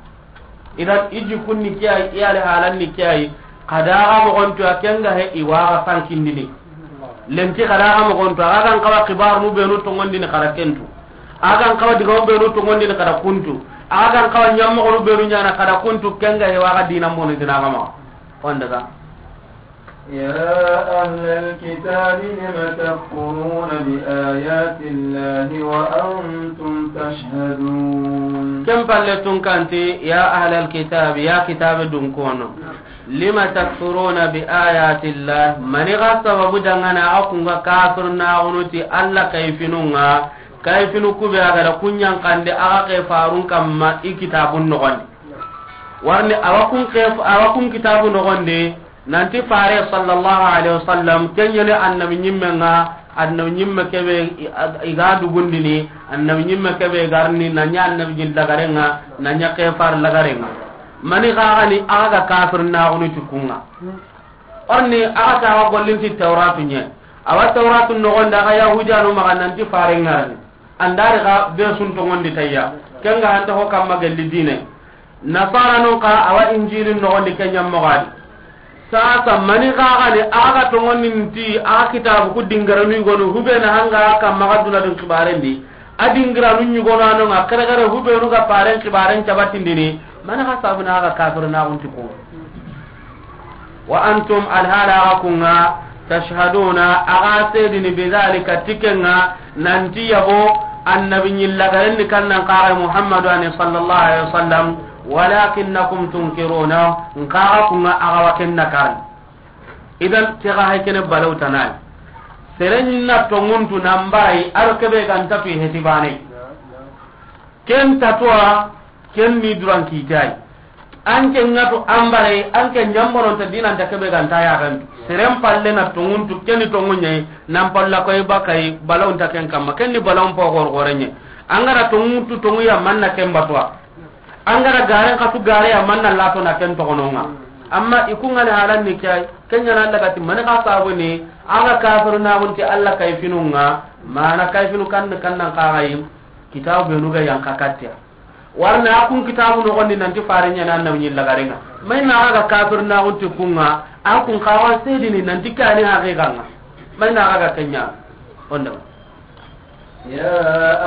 Idan i jikun ni kiyayi, i ali halan ni kiyayi. Kadaga moxon to a kenga he i waga sankindini. Lenki kadaga moxon to, a gan kawa kibaru nu benu tongondini kada kentu. A gan kawa digamu benu tongondini kada kuntu. A gan kawa ɲammoxonu benu ɲana kada kuntu kenga he waga dinan bonu dina kama. On daga. يا أهل الكتاب لم تكفرون بآيات الله وأنتم تشهدون. Ken palle tun kanti, ya ahlal kitab, ya kitabe dun kono. Lima takfuruna bi ayati llah, mani ga sababu dangana a kunga kafir na gunuti Allah kayfinunga, kayfinu kube a ga da kunyan kande a ga ke farun kamma i kitabun nogondi. Warni a wa kun ke, a wa kun kitabu nogondi, Nanti fare sallallahu alaihi wasallam, kenyele annabi nyimme nga, annabi nyimme kebe i, i ga dugundini, annabi nyimme kebe garni, nanya annabi jin lagarenga, nanya kefar lagarenga. Mani gagani aga kafir na gunu tukunga. Orni aga tawa gollinti Tauratu nye. Awa Tauratu nogonda ga Yahudiyanu maga nanti fare ngarni. Andari ga be sun tongondi tayya. Kenga hanta ho kamma gelli dine. Nasara nun ka awa Injilin nogondi kenya mogadi. Sasa mani gagani aga tongondi nti aga kitabu ku dingaranu yugonu hubena hanga kamma ga duna dun kibarendi. A dingiranu yugonu anonga kare kare hubenu ga paren kibaren cabatindini. Mana ga sabuna aga kafir na gunti ko. Wa antum alhala aga kunga tashhaduna aga sedini bidhalika tikenga nanti yabo Annabi ɲi lagaren ni kannan kaxa Muhammadu ani sallallahu alaihi wasallam, walakinnakum tunkiruna, nkaxa kunga axa wa ken nakari. Idan ke ga hay kene balaw tanai. Seren na tonguntu nan bayi, aro kebe ganta tu heti bane. Ken tatuwa, ken ni duran kitai. An ke ŋa tu an bare, an ke ɲambonon ta dinan ta kebe ganta ya gantu. Seren palle na tonguntu, ken ni tongunyai, nan palla koy bakai, balawun ta ken kamma, ken ni balawun po gor gorenye. An gara tonguntu tonguya manna ken batwa. An gara garen katu gare ya manna lato na ken togononga. Amma ikunga ne halan ni kai, ken ɲana lagati mani ka sabu ni, aga kafir na gunti Allah kayfinunga, mana kayfinu kan kannan kaxayi, kitabu benu ga yanka kattiya. Warna a kun kitabu nogondi nanti fare ɲana annabi ɲi lagarenga. Mai na ga kafir na gunti kunga, a kun kawa sedini nanti kani haqiqanga. Mai na ga kenya. Onda. يا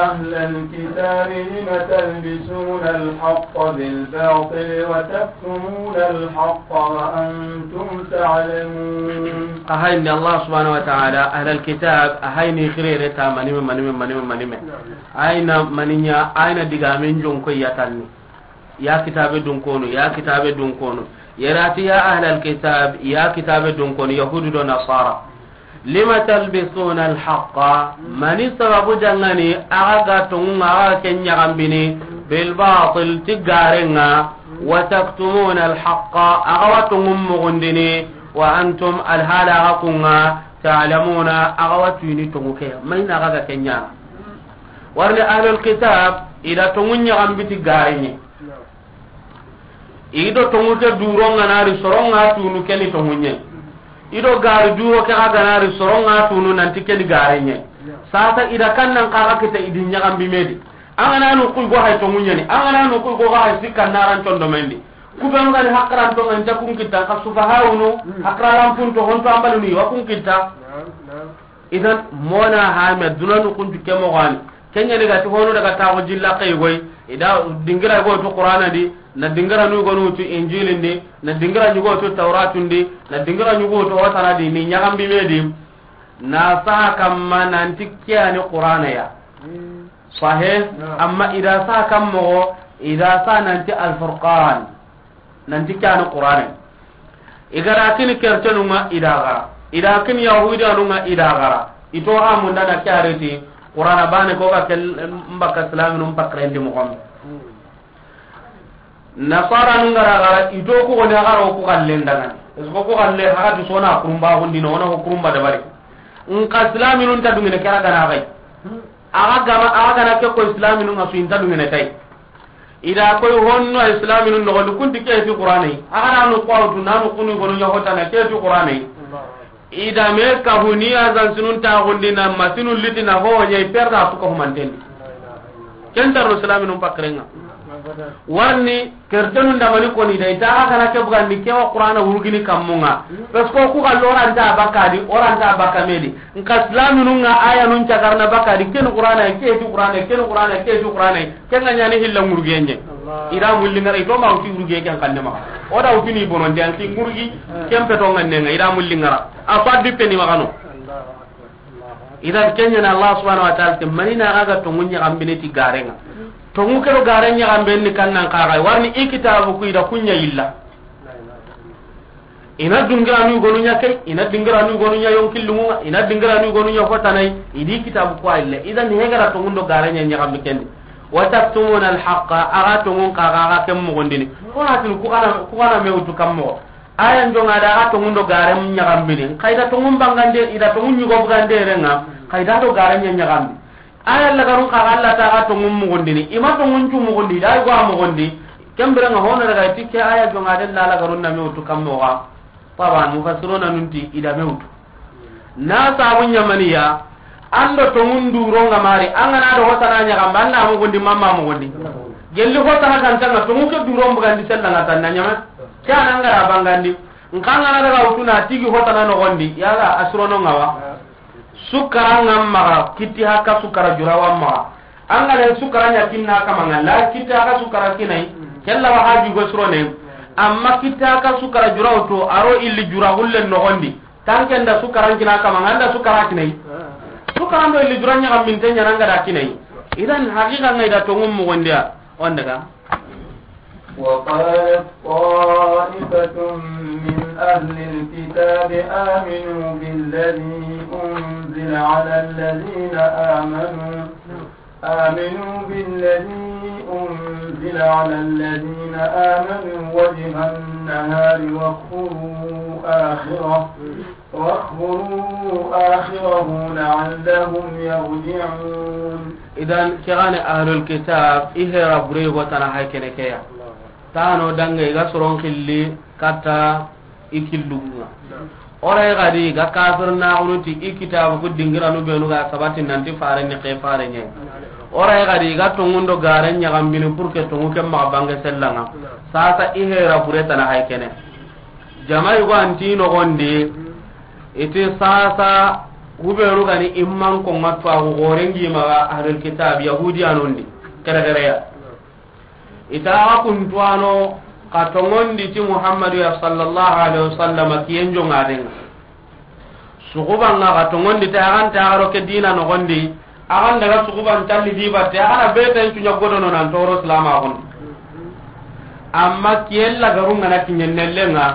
أهل الكتاب لم تلبسون الحق بالباطل وتكتمون الحق وأنتم تعلمون. Ahayni Allah subhanahu wa ta'ala, ahlal kitab, ahayni khirere ta manime, manime, manime, manime. Ayna maninya, ayna digamen jonko yatanni. Ya kitabe dun kono, ya kitabe dun kono. Yarati ya ahlal kitab, ya kitabe dun kono, Yahudu do Nasara. Lima talbisuna alhaqqa, mani sababu dangani, aga ga tongunga, aga ken ɲagambini, bil batil, ti garenga, wa taktumuna alhaqqa, aga wa tongun mugundini, wa antum alhala aga kunga, ta'lamuna, aga wa tuyini tongu ke, mayna aga ga ken ɲana. Warni ahlul kitab, ida tongun ɲagambi ti garenye. Ido tongu ke duro nganari soronga tunu keni tongunye. Ido gari duro ke aganari soronga tunu nanti keni garenye. Sasa ida kannan kaga kita idi ɲagambi medi. Angana nu kuy go hay tongunye ni. Angana nu kuy go hay sikka naran tondo mendi. Kubenu gani hakran to nganta kun kita ka sufa hawunu hakran punto honto ambaluni wa kun kita. Idan mona hame dunanu kuntu ke mogani. Kenya ni gati hono daga taxo jilla kay goy. Ida dingira go to Qur'ana di, na dingira nu go nu to Injilin di, na dingira nu go to Tauratun di, na dingira nu go to watana di, ni ɲagambi medi. Na sa kamma nanti kiyani Qur'ana ya. Sahih. Amma ida sa kammo, ida sa nanti Al-Furqan. Nanti kiyani Qur'ane. Igara kini kertenunga idagara. Ida kini yahudanunga idagara. Ito amunda na kyareti Qur'ana bane ko ga kel mbaka islaminun pakrendi mo gombe. Nasara nun gara gara ito ku goni agara ku galle ndangani. Esko ku galle haga du sona kurumba hundi no ona ko kurumba dabari. Nka islaminun ta dungene kera gana gai. Aga gama aga gana ke ko islaminun asu inta dungene tai. Ida koy honno islaminun nogondi kunti ke ti Qur'ane. Aga nanu qawtu nanu kunu gonu ɲa hotana ke ti Qur'ane. Ida me kahuni azan sunun ta gondi na masinu litina ho ɲa perda su ko mantendi. Kentarno islaminun pakrenga. Warni kertenun damani koni da ita aga na ke bugandi ke wa Qur'ana wurugini kammunga. Parce que ku ga loranta bakadi, oranta bakamedi. Nka islaminun nga aya nun cagarna bakadi, ken Qur'ana, ke ti Qur'ana, ken Qur'ana, ke ti Qur'ana, ken nga ɲani hilla ngurgenye. Ida mulli ngara, ito ma uti ngurge ken kanne ma. Oda uti ni bonon de, anti ngurgi, ken peto nganne nga, ida mulli ngara. Apa di peni magano. Ida kenya na Allah subhanahu wa ta'ala, te manina aga tongu ɲagambini ti garenga. Tongu kero garen ɲagambe ni kannan kaga, warni i kitabu ku ida kunya illa. Ina dungiranu gonu ɲa kay, ina dungiranu gonu ɲa yonkillunga, ina dungiranu gonu ɲa fotanai, idi kitabu ko ayille. Idan hegara tongundo gare ɲa ɲagambi kendi. Wa taktumuna alhaqa, aga tongun kaga aga ken mogondini. Ko hatin ku kana, ku kana mewtu kammo. Aya njonga da aga tongundo gare ɲagambini. Kayda tongun bangande, ida tongun ɲugo bugande renga. Kayda do gare ɲa ɲagambi. Aya lagarun kaga Allah ta ga tongun mugundini. Ima tongun cu mugundi, da yugo a mugundi. Kembere nga hono daga tike aya jonga den la lagarun na mewtu kammo ga. Taban mufassiruna nunti ida mewtu. Na sabu ɲamaniya, ando tongun duro nga mari, angana do hotana ɲagamba, anga mugundi mamma mugundi. Gelli hotana kantanga, tongu ke duro mbugandi sella nga tanna ɲama. Kana ngara bangandi. Nkangana daga utuna tigi hotana nogondi, yaga asrono ngawa. Sukara nga maga, kitti haka sukara jurawa maga. Angale sukara nya kinna kama nga, la kitti haka sukara kinai, kella wa haji go surone. Amma kitti haka sukara juraw to, aro illi jura gulle nogondi. Tanke nda sukara kina kama nga, nda sukara kinai. Sukara ndo illi jura nya kam minte nya nanga da kinai. Idan, haqiqa ŋa i da tonŋun moxondiya, o n daga. وقالت طائفة من أهل الكتاب آمنوا بالذي أنزل على الذين آمنوا، آمنوا بالذي أنزل على الذين آمنوا وجه النهار واكفروا آخره، واكفروا آخره لعلهم يرجعون. Idan, ke ga ni ahlul kitab, i hera bure go tana hay kene ke ya. Tano dange ga soron xilli katta i killunga. O ra yi gadi ga kafir na unu ti i kitabu ku dingiranu benu ga sabati nanti fare ni ke fare nye. O ra yi gadi ga tonŋundo garen ɲagambini pour que tonŋu ke maxa bange sellanga. Sasa i hera bure tana hay kene. Jama yugo anti nogondi, iti sasa, hubenu gani imman ko ŋa tuwaxu xorengi maxa ahlul kitab, yahudiyanondi, kere kere ya. Ita axa kuntuwano, xa tonŋondi ti Muhammadu ya sallallahu alaihi wasallam, kiyen jongadenga. Suxuban ŋa xa tonŋondi te, axan ta axaro ke dina noxondi, axan daga suxuban talli di batte, axana beten cuɲa godono nan toro silama xon. Amma kiyen lagarun ŋa na kiɲen nellenga,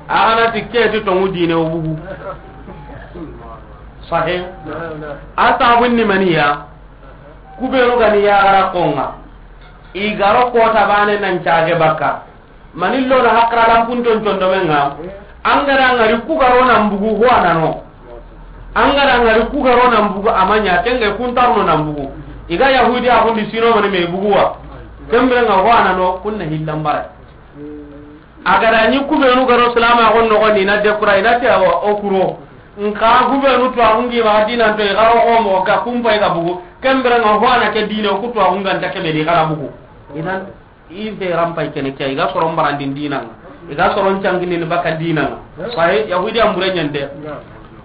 axana ti ke ti tonŋu dine o bugu. Sahe. A sabun ni maniya, kubenu gani yaxara konga, i garo kota bane nan cage bakka. Mani lona hakra lampun ton condomenga. Angara ngari ku garo nan bugu ho anano. Angara ngari ku garo nan bugu amanya tenge kun tarno nan bugu. Iga yahudi a kundi sino mani me buguwa. Kembere nga ho anano kunna hillambara. Agara ni kubenu garo salama gon no ni na de kura ina te awa okuro. Nka kubenu to agungi ma dinan to garo ko mo ka kumpa ga bugu. Kembere nga ho ana ke dine ku to agunga nta ke be di kana bugu. Idan, i be rampay kene ke, i ga soron barandin dinanga, i ga soron canginin baka dinanga. Sahi, Yahudi an bure ɲande.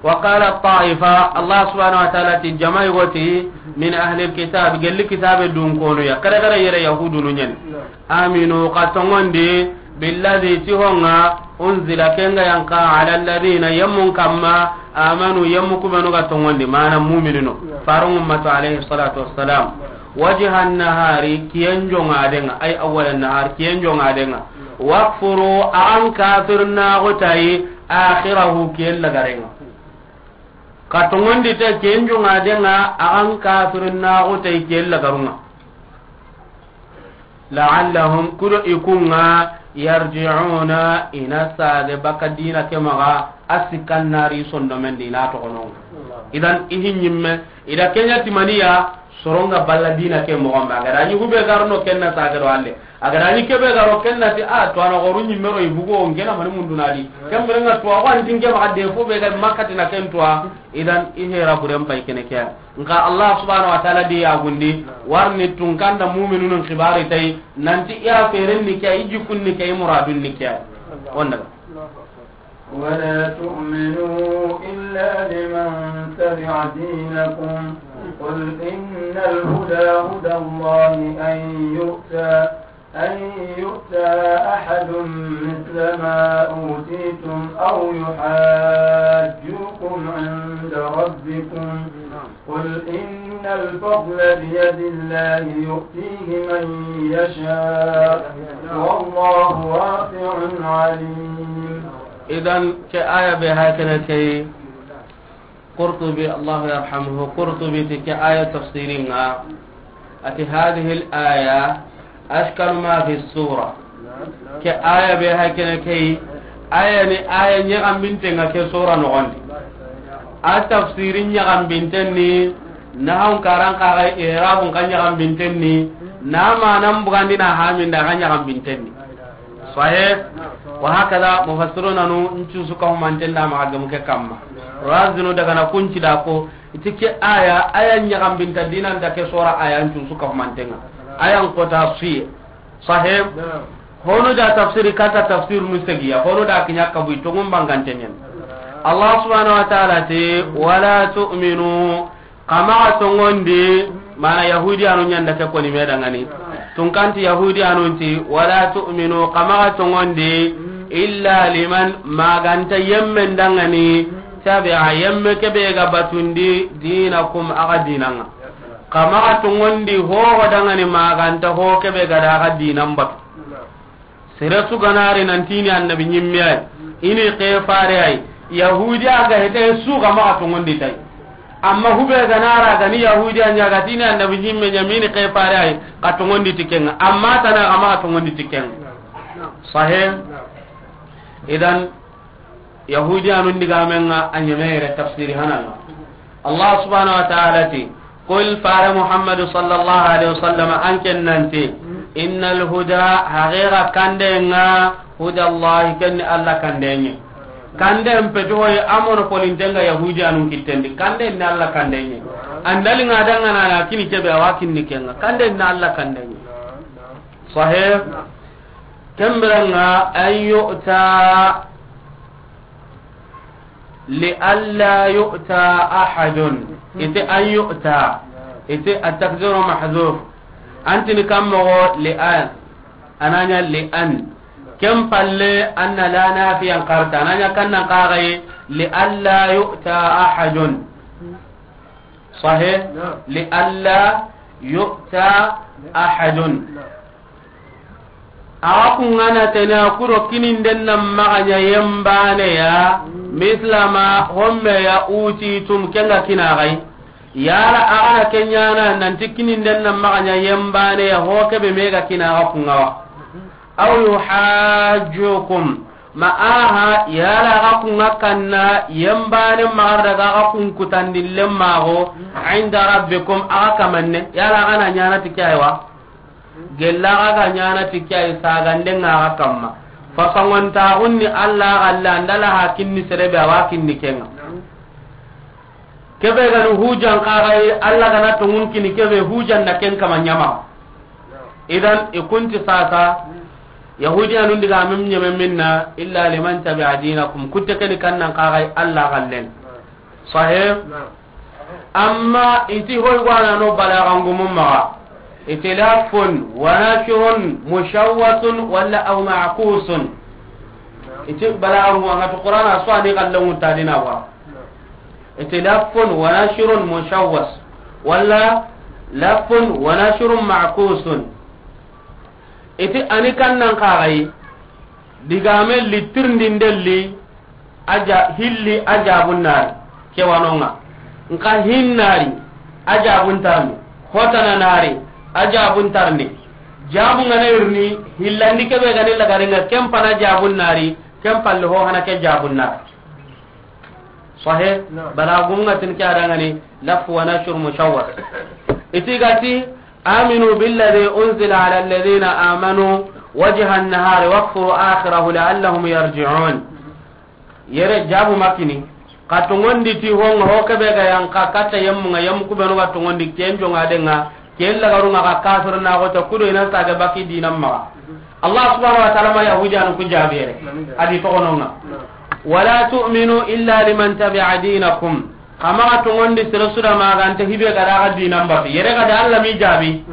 Wa qala ta'ifa, Allah subhanahu wa ta'ala ti jama yogoti, min ahli alkitab, gelli kitabe dun kono ya, kare kare yere Yahudunu ɲan. Aminu, xa tongondi, billadhi, ti honga, unzila, kenga yanka, ala alladhina, yemmun kamma, amanu, yemmu kubenu ga tongondi, mana mu'minino. Farun ummatu alayhi salatu wassalam. Wajha nahari, kiyen jongadenga, ay awwala nahar, kiyen jongadenga. Wakfuru, an kafirnaxu tayi, akhirahu, kiyen lagarenga. Xa tongondi te kiyen jongadenga, an kafirnaxu tayi, kiyen lagarunga. La'allahum, kudo ikunga, yarji'una, ina sage baka dina ke maga, a sikkan nari sondomen di na toxononga. Idan, ihi ɲimme, ida kenya timaniya, soronga balla dina ke moxon ba. Agada ni hube garno kenna sage do alle. Agada ni kebe garo kenna ti, a, to ana goru ɲimme ro ibugo, ngena mani munduna di. Kembere nga to awa antin ke maga de fo be ga makati na ken to. Idan, ihe raburen pay kene ke. Nka Allah subhanahu wa ta'ala di yagundi, warni tunkanda mu'minunun xibari tay, nanti iya feren ni ke, i jikun ni ke, i muradun ni ke. Onda. ولا تؤمنوا إلا لمن تبع دينكم. قل إن الهدى هدى الله أن يؤتى، أن يؤتى أحد مثل ما أوتيتم أو يحاجوكم عند ربكم. قل إن الفضل بيد الله يؤتيه من يشاء، والله واسع عليم. Idan, ke aya be hakene ke, Qurtubi, Allah yarhamuhu, Qurtubi ti ke aya tafsiringa, ati hadhihi al-aya ashkalu ma fi sura. Ke aya be hakene ke, aya ni aya ɲagambintenga ke sura nogondi. A tafsirin ɲagambintenni, na hawun karan kaga i'rabun ka ɲagambintenni, na manan bugandina haminda ka ɲagambintenni. Sahih. Wa hakada mufassiruna nu ncu suka humanten da ma gamu ke kamma. Razinu daga na kunci da ko, iti ke aya, aya ɲagambinta dinanta ke sura aya ncu suka humantenga. Aya nkota suye. Sahih. Hono da tafsiri kata tafsir mustagiya, hono da kinya kabu tongun bangante nyen. Allah subhanahu wa ta'ala ti, wala tu'minu, kama tongondi, mana Yahudi anu ɲanda ke koni me dangani. Tunkanti Yahudi anu ti, wala tu'minu, kama tongondi, illa liman, maganta yemmen dangani, tabi'a, yemme kebe ga batundi, dinakum, aga dinanga. Xa maxa tongondi hoho dangani ma ga nta ho kebe ga da ga dinan batu. Sere su ga na ri nanti i ni annabi ɲimme yi, i ni ke fare yi. Yahudiya ga hete su ga maxa tongondi tay. Amma hube ga na ra ga ni Yahudiya ɲa ga ti i ni annabi ɲimme ɲa mi ni ke fare yi, xa tongondi ti ken ŋa. Amma tana ga maxa tongondi ti ken ŋa. Sahih. Idan, Yahudiyanun digamen ŋa a ɲeme yere tafsiri hanan ŋa. Allah subhanahu wa ta'ala ti, "Qul, fare Muhammadu sallallahu alaihi wasallam, an ken nanti, innal huda, haqiqa kande ŋa, huda Allah, ken ni Allah kande ɲi." Kande mpeti hoye a mono polinte ŋa Yahudiyanun kittendi. Kande ni Allah kande ɲi. Andali ŋa dangana na kini kebe a wa kinni ken ŋa. Kande ni Allah kande ɲi. Sahih. Kembirenga an yu'ta li alla yu'ta ahadun. Ite an yu'ta. Ite at-taqdiru mahzuf. Antini kammogo li an. Ananya li an. Kem palle anna la nafiyan qarta. Ananya kannan qagaye li alla yu'ta ahadun. Sahih. Li alla yu'ta ahadun. Axa kungana tena kuro kininden na maxaɲa yembane ya, mislama homme ya utitum kenga kinaxay. Yala axana kenyana nanti kininden na maxaɲa yembane ya ho kebe mega kinaxa kungawa. Aw yuhajjukum, ma aha yala axa kunga kanna yembane maxar daga axa kunkutandillen maxo inda rabbikum axa kamanne yala axana ɲana ti kaywa. Gella ga ga ɲana ti ke ay sagande nga ga kamma. Fasangon ta gunni Allah galla andala ha kinni serebe awa kinni kenga. Kebe ga nu hujan ka ga yi Allah ga na tungun kini kebe hujan na ken kama ɲama. Idan ikunti sasa Yahudiyanun diga mim ɲeme minna illa liman tabi'a dinakum kutte keni kannan ka ga yi Allah gallen. Sahih. Amma iti hoy gwana no balagan gumun maga. Iti lafun wa nashrun mushawwasun wala aw ma'kusun. Iti balagan gumun ga to Qur'ana so ani kallan mutadina wa. Iti lafun wa nashrun mushawwas wala lafun wa nashrun ma'kusun. Iti ani kannan kagai digame litirndindelli. Aja hilli ajabun nari. Kewanonga nka hinnari ajabun tarni. Hotana nari ajabun tarni. Jabu ngana irni hillandi kebe gani lagaringa kempana jabun nari. Kempalle ho hana ke jabun nari. Sahih. Balagunga tin ke adangani lafu wa nashur mushawwar. Itigati aminu billadhi unzila ala alladhina amanu wajha an-nahari wakfuru akhirahu la'allahum yarji'un. Yere jabu makini ka tongondi ti honga ho kebe ga yanka katta yemmunga yemmu kubenu ga tongondi kenjonga denga kella garunga ka kafir na go ta kudo ina saga baki dinam maga. Allah subhanahu wa ta'ala ma yahudi anu ku jabi yere. Adi to gononga wala tu'minu illa liman tabi'a dinakum. Kama ga tongondi sere suda maga anta hibe ga daga dinam batu yere ga da Allah mi jabi.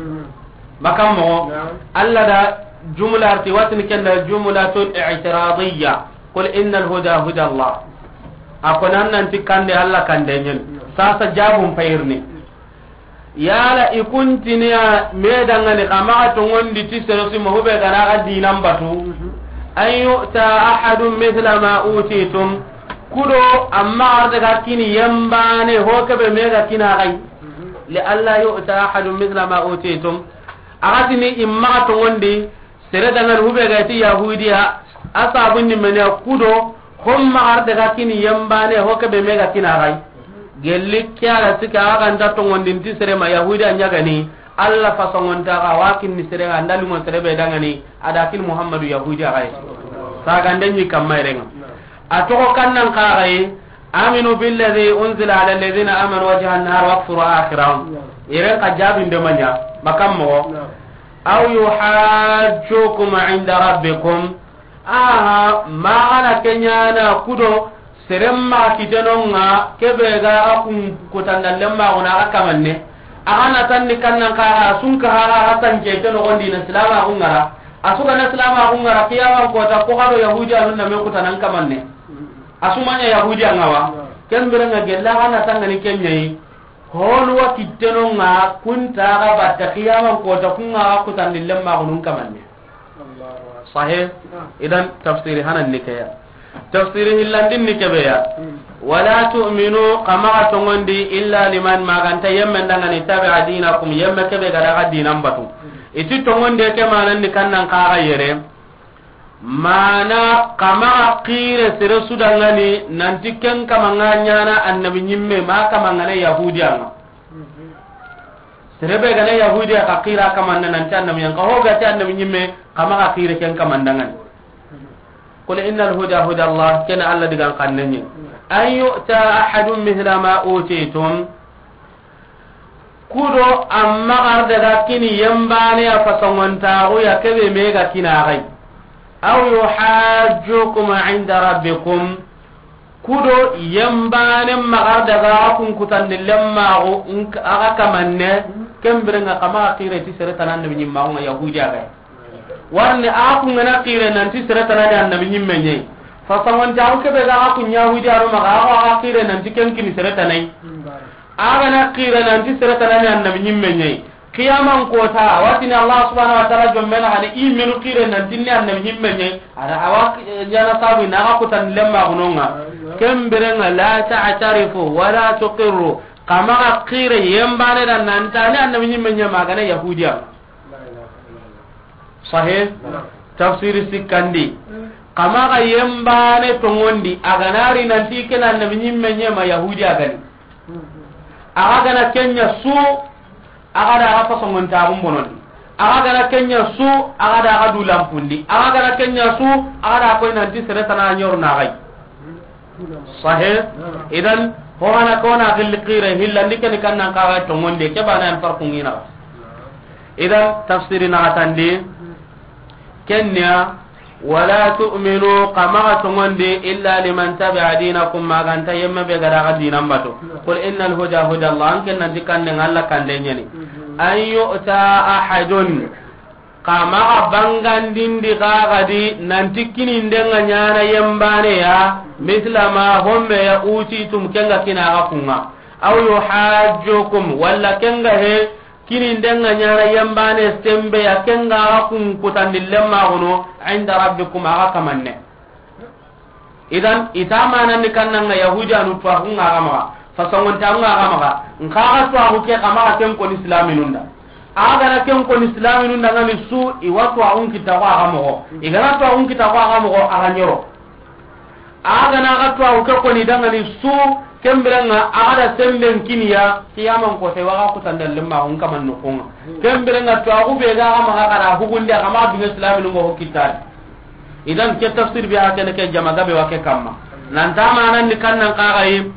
Makam mo Allah da jumla arti watin kenda jumlatul i'tiradiyya. Qul innal huda huda Allah. Akonan nanti kande Allah kande nyen. Sasa jabun payirni. Yala ikuntiniya medangani kama ga tongondi ti sere su ma hube ga daga dinam batu. An yu'ta ahadun mithla ma utitum. Kudo amma ardaga kini yembane ho kebe mega kina gai. Li alla yu'ta ahadun mithla ma utitum. Agatini imma tongondi sere dangan hube ga ti yahudiya. Asabun ni menya kudo homma ardaga kini yembane ho kebe mega kina gai. Gelli kiara sika aga nda tongondin ti sere ma yahudiya nyagani. Alla fasongonta ga wakin ni sere ga ndalimo sere be dangani adakin Muhammadu yahudiya gai. Sagande ni kamma irenga. A toxo kannan kaxaye. Aminu billadhi unzila ala alladhina amanu wajha an-nahar wakfuru akhirahu. Iren ka jabinde manya makam mo. Aw yuhajjukum inda rabbikum. Aha, magana kenyana kudo seremma kitenonga kebe ga akun kutanda lemma gona akamanne. Agana tanni kannan kaga sunka haga hasan ke teno gondi na silama gungara. Asuga na silama gungara kiyawan kota ko gado yahudi anun na me kutanan kamanne. Asumanya yahudi angawa. Kembere nga gella gana tangani kenyayi. Honu wa kittenonga kunta ga batta qiyaman kota kunga ga kutandi lemmaxunun kamanne. Sahe. Idan tafsiri hanan ni keya. Tafsiri hillandin ni kebeya. Wala tu'minu, xa maxa tongondi, illa liman, maganta yemmen dangani, tabi'a dinakum, yemme kebe ga daga dinan batu. Iti tongondi ke manan ni kannan kaga yere. Mana xa maxa xire sere su dangani nanti ken kamanga ɲana annabi ɲimme ma kamangana yahudiyanga. Sere be gana yahudiya xa xira kamanna nanti annabi ɲanga ho gati annabi ɲimme xa maxa xire ken kamandangani. Qul innal huda huda Allah, ken Allah digan xanne ɲi. An yu'ta ahadun mithla ma utitum. Kudo amma gar daga kini yembane a fasongontaxu ya kebe me ga kina xay. Aw yuhajjukum inda rabbikum. Kudo yembane magar daga kun kutandi lemmaxu aga kamanne. Kembirenga xa maxa xire ti sere tana annabi ɲimmaxunga yahudi a gay. Warni a kungana xire nanti sere tanani annabi ɲimme ɲey. Fasongontaxu kebe ga a kun yahudi aro maxa a xire nanti ken kini sere tanay. Agana xira nanti sere tanani annabi ɲimme ɲey. Qiyaman kota watini Allah subhanahu wa ta'ala jommena hani i menu xire nanti ni annabi ɲimme ɲey. Ada awa jana sabu na ga kutan lemma gunonga. Kembirenga la ta'tarifu wala tuqirru. Xa maxa xire yembane da nantani annabi ɲimme ɲey magana yahudiya. Sahe. Tafsiri sikkandi. Xa maxa yembane tongondi aganari nanti kena annabi ɲimme ɲey ma yahudi a gani. Axa gana kenya su. Axa da axa fasongontaxun bonondi. Axa gana kenya su. Axa da axa du lampundi axa gana kenya su. Axa da koy nanti sere tana ɲoru naxay. Sahe. Idan hogana kona xilli xire hillandi keni kannan kaga tongonde ke bana an farkungina. Idan tafsiri naxatandi. Kenya. Wala tu'minu, xa maxa tongondi, illa liman tabi'a dinakum, maganta yemme be ga daga dinan batu. Qul innal huda huda Allah, an ken nanti kande nga Allah kande ɲeni. An yu'ta ahadun, xa maxa bangandindi xaxadi nanti kininde nga ɲana yembane ya, misla ma homme ya utitum kenga kina ga kunga. Aw yuhajjukum, walla kenga he, Kini ndenga ɲana yembane sembe ya kenga kun kutandi lemma gono inda rabbikum aga kamanne. Idan ita manandi kannanga yahudiyanu tuwaxu nga ga maxa, fasongontaxu nga ga maxa, nkaxa tuwaxu ke xa maxa ken koni islaminunda. Aga na ken koni islaminunda ngani su iwa tuwaxun kita ko aga moxo. Igana tuwaxun kita ko aga moxo aga ɲoro. Aga na ga tuwaxu ke koni dangani su, kembirenga aga da semben kiniya kiyaman ko te waga kutanda lemma on kaman no konga. Kembirenga tuwaxu be ga ga maxa gara hugundi aga maxa dunga islaminu ngo kitadi. Idan ke tafsir be hakene ke jama gabe wa ke kamma. Nan tamanan ni kannan kaxayi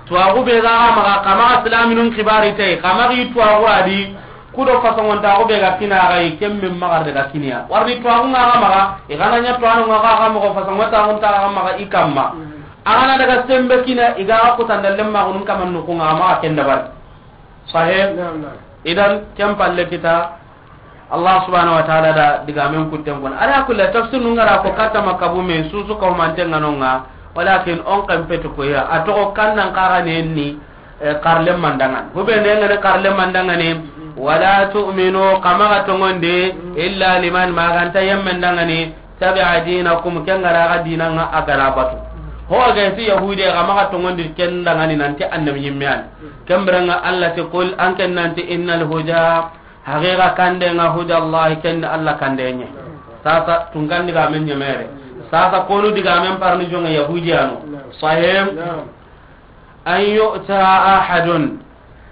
tuwaxu be ga ga maxa kama islaminun kibari te kama gi tuwaxu adi. Kudo fasongontaxu be ga kina xayi kembe maxa daga kiniya warni tuwaxu nga ga maxa. I gana ɲa tuwanu nga ga maxa fasongontaxu nta ga maxa i kamma. A gana daga sembe kina i ga kutanda lemma gunun kaman nuku nga maxa ken dabari. Sahe. Idan ken palle kita. Allah subhanahu wa ta'ala da digamen kutten kon ala kulli tafsir nu ngara ko kata makabu me susu ko mantenga nonga. Walakin on kan petu ko ya atoxo kannan kaxane ni. Karle mandangan hube ne ngane karle mandangane. Wala tu'minu kama ga tongonde illa liman maganta yemmen dangane tabi'a dinakum kengara ga dinanga agara batu. Ho ga si yahudi kama ga tongonde ken dangane nanti annabi yimmiyan. Kembranga Allah te qul an ken nanti innal huda haqiqa kande nga huda Allah ken Allah kande nye. Sasa tungandi ga men nyemere. Sasa konu diga men parni jonga yahudiyanu. Sahem. An yu'ta ahadun.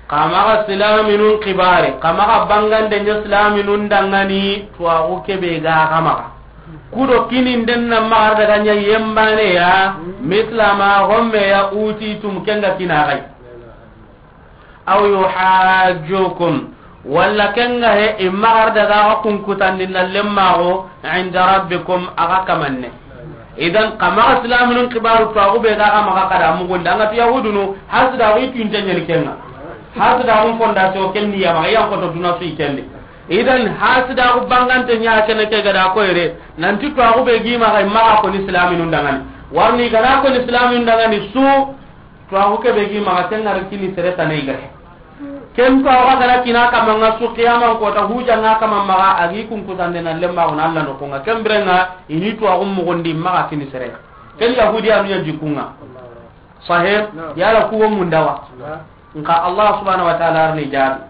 Kamaga silaminun kibare kamaga bangande nya silaminun dangani tuwaxu kebe ga kamaga. Kudo kinin den na magar daga nya yembane ya. Mislama homme ya uti tum kenga kinagai. Aw yuhajjukum. Walla kenga he i magar daga ga kunkutandi na lemmago inda rabbikum aga kamanne. Idan kama islaminun kibaru tuwaxu be ga ga maga kada mugunde anga tu yahudunu. Hasida wi tunte nyani kenga. Hasida gun fondation kenni yama yan ko to duna su ikendi. Idan hasida gu bangante nya kene ke gada ko ere nanti tuwaxu be gi maga maga ko ni islaminun dangani. Warni gada ko ni islaminun dangani su tuwaxu ke be gi maga tengar kini sere tanai gare. Ken tuwaaxu ga na kini a kamma ŋa su qiyaman kota, hujja ŋa a kamma maxa, a gi kunkusande na lemmaxu na Alla noxon ŋa. Ken biren ŋa i ni tuwaaxu muxundi maxa kini sere. Ken Yahudiyanu ɲa jikku ŋa. Sahih? Naam. Yala ku wo munda wa? Naam. Nxa Allah subhanahu wa ta'ala arni jaabi.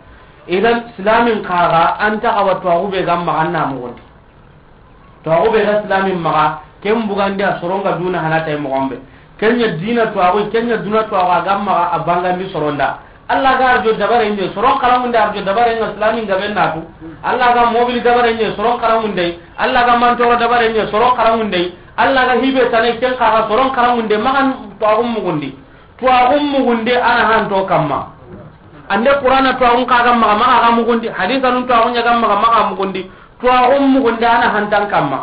Idan, silamin xa ga an ta xa wa tuwaaxu be ga maxa an na muxundi. Tuwaaxu be ga silamin maxa, ken bugandi a soron ga duna hana tay moxon be. Ken ɲa dina tuwaaxu, ken ɲa duna tuwaaxu a ga maxa a bangandi soron da. Alla ga arjo dabare ɲe, soron xaranŋunde arjo dabare ŋa silamin gaben na tu. Alla ga mobili dabare ɲe, soron xaranŋunde. Alla ga mantoro dabare ɲe, soron xaranŋunde. Alla ga hibe tane ken xa ga soron xaranŋunde, maxa tuwaaxu muxundi. Tuwaaxu muxunde a na hanto kamma. Ande Qur'ana tuwaaxun xa ga maxa, maxa ga muxundi. Hadisanun tuwaaxun ɲa ga maxa, maxa muxundi. Tuwaaxu muxunde a na hantan kamma.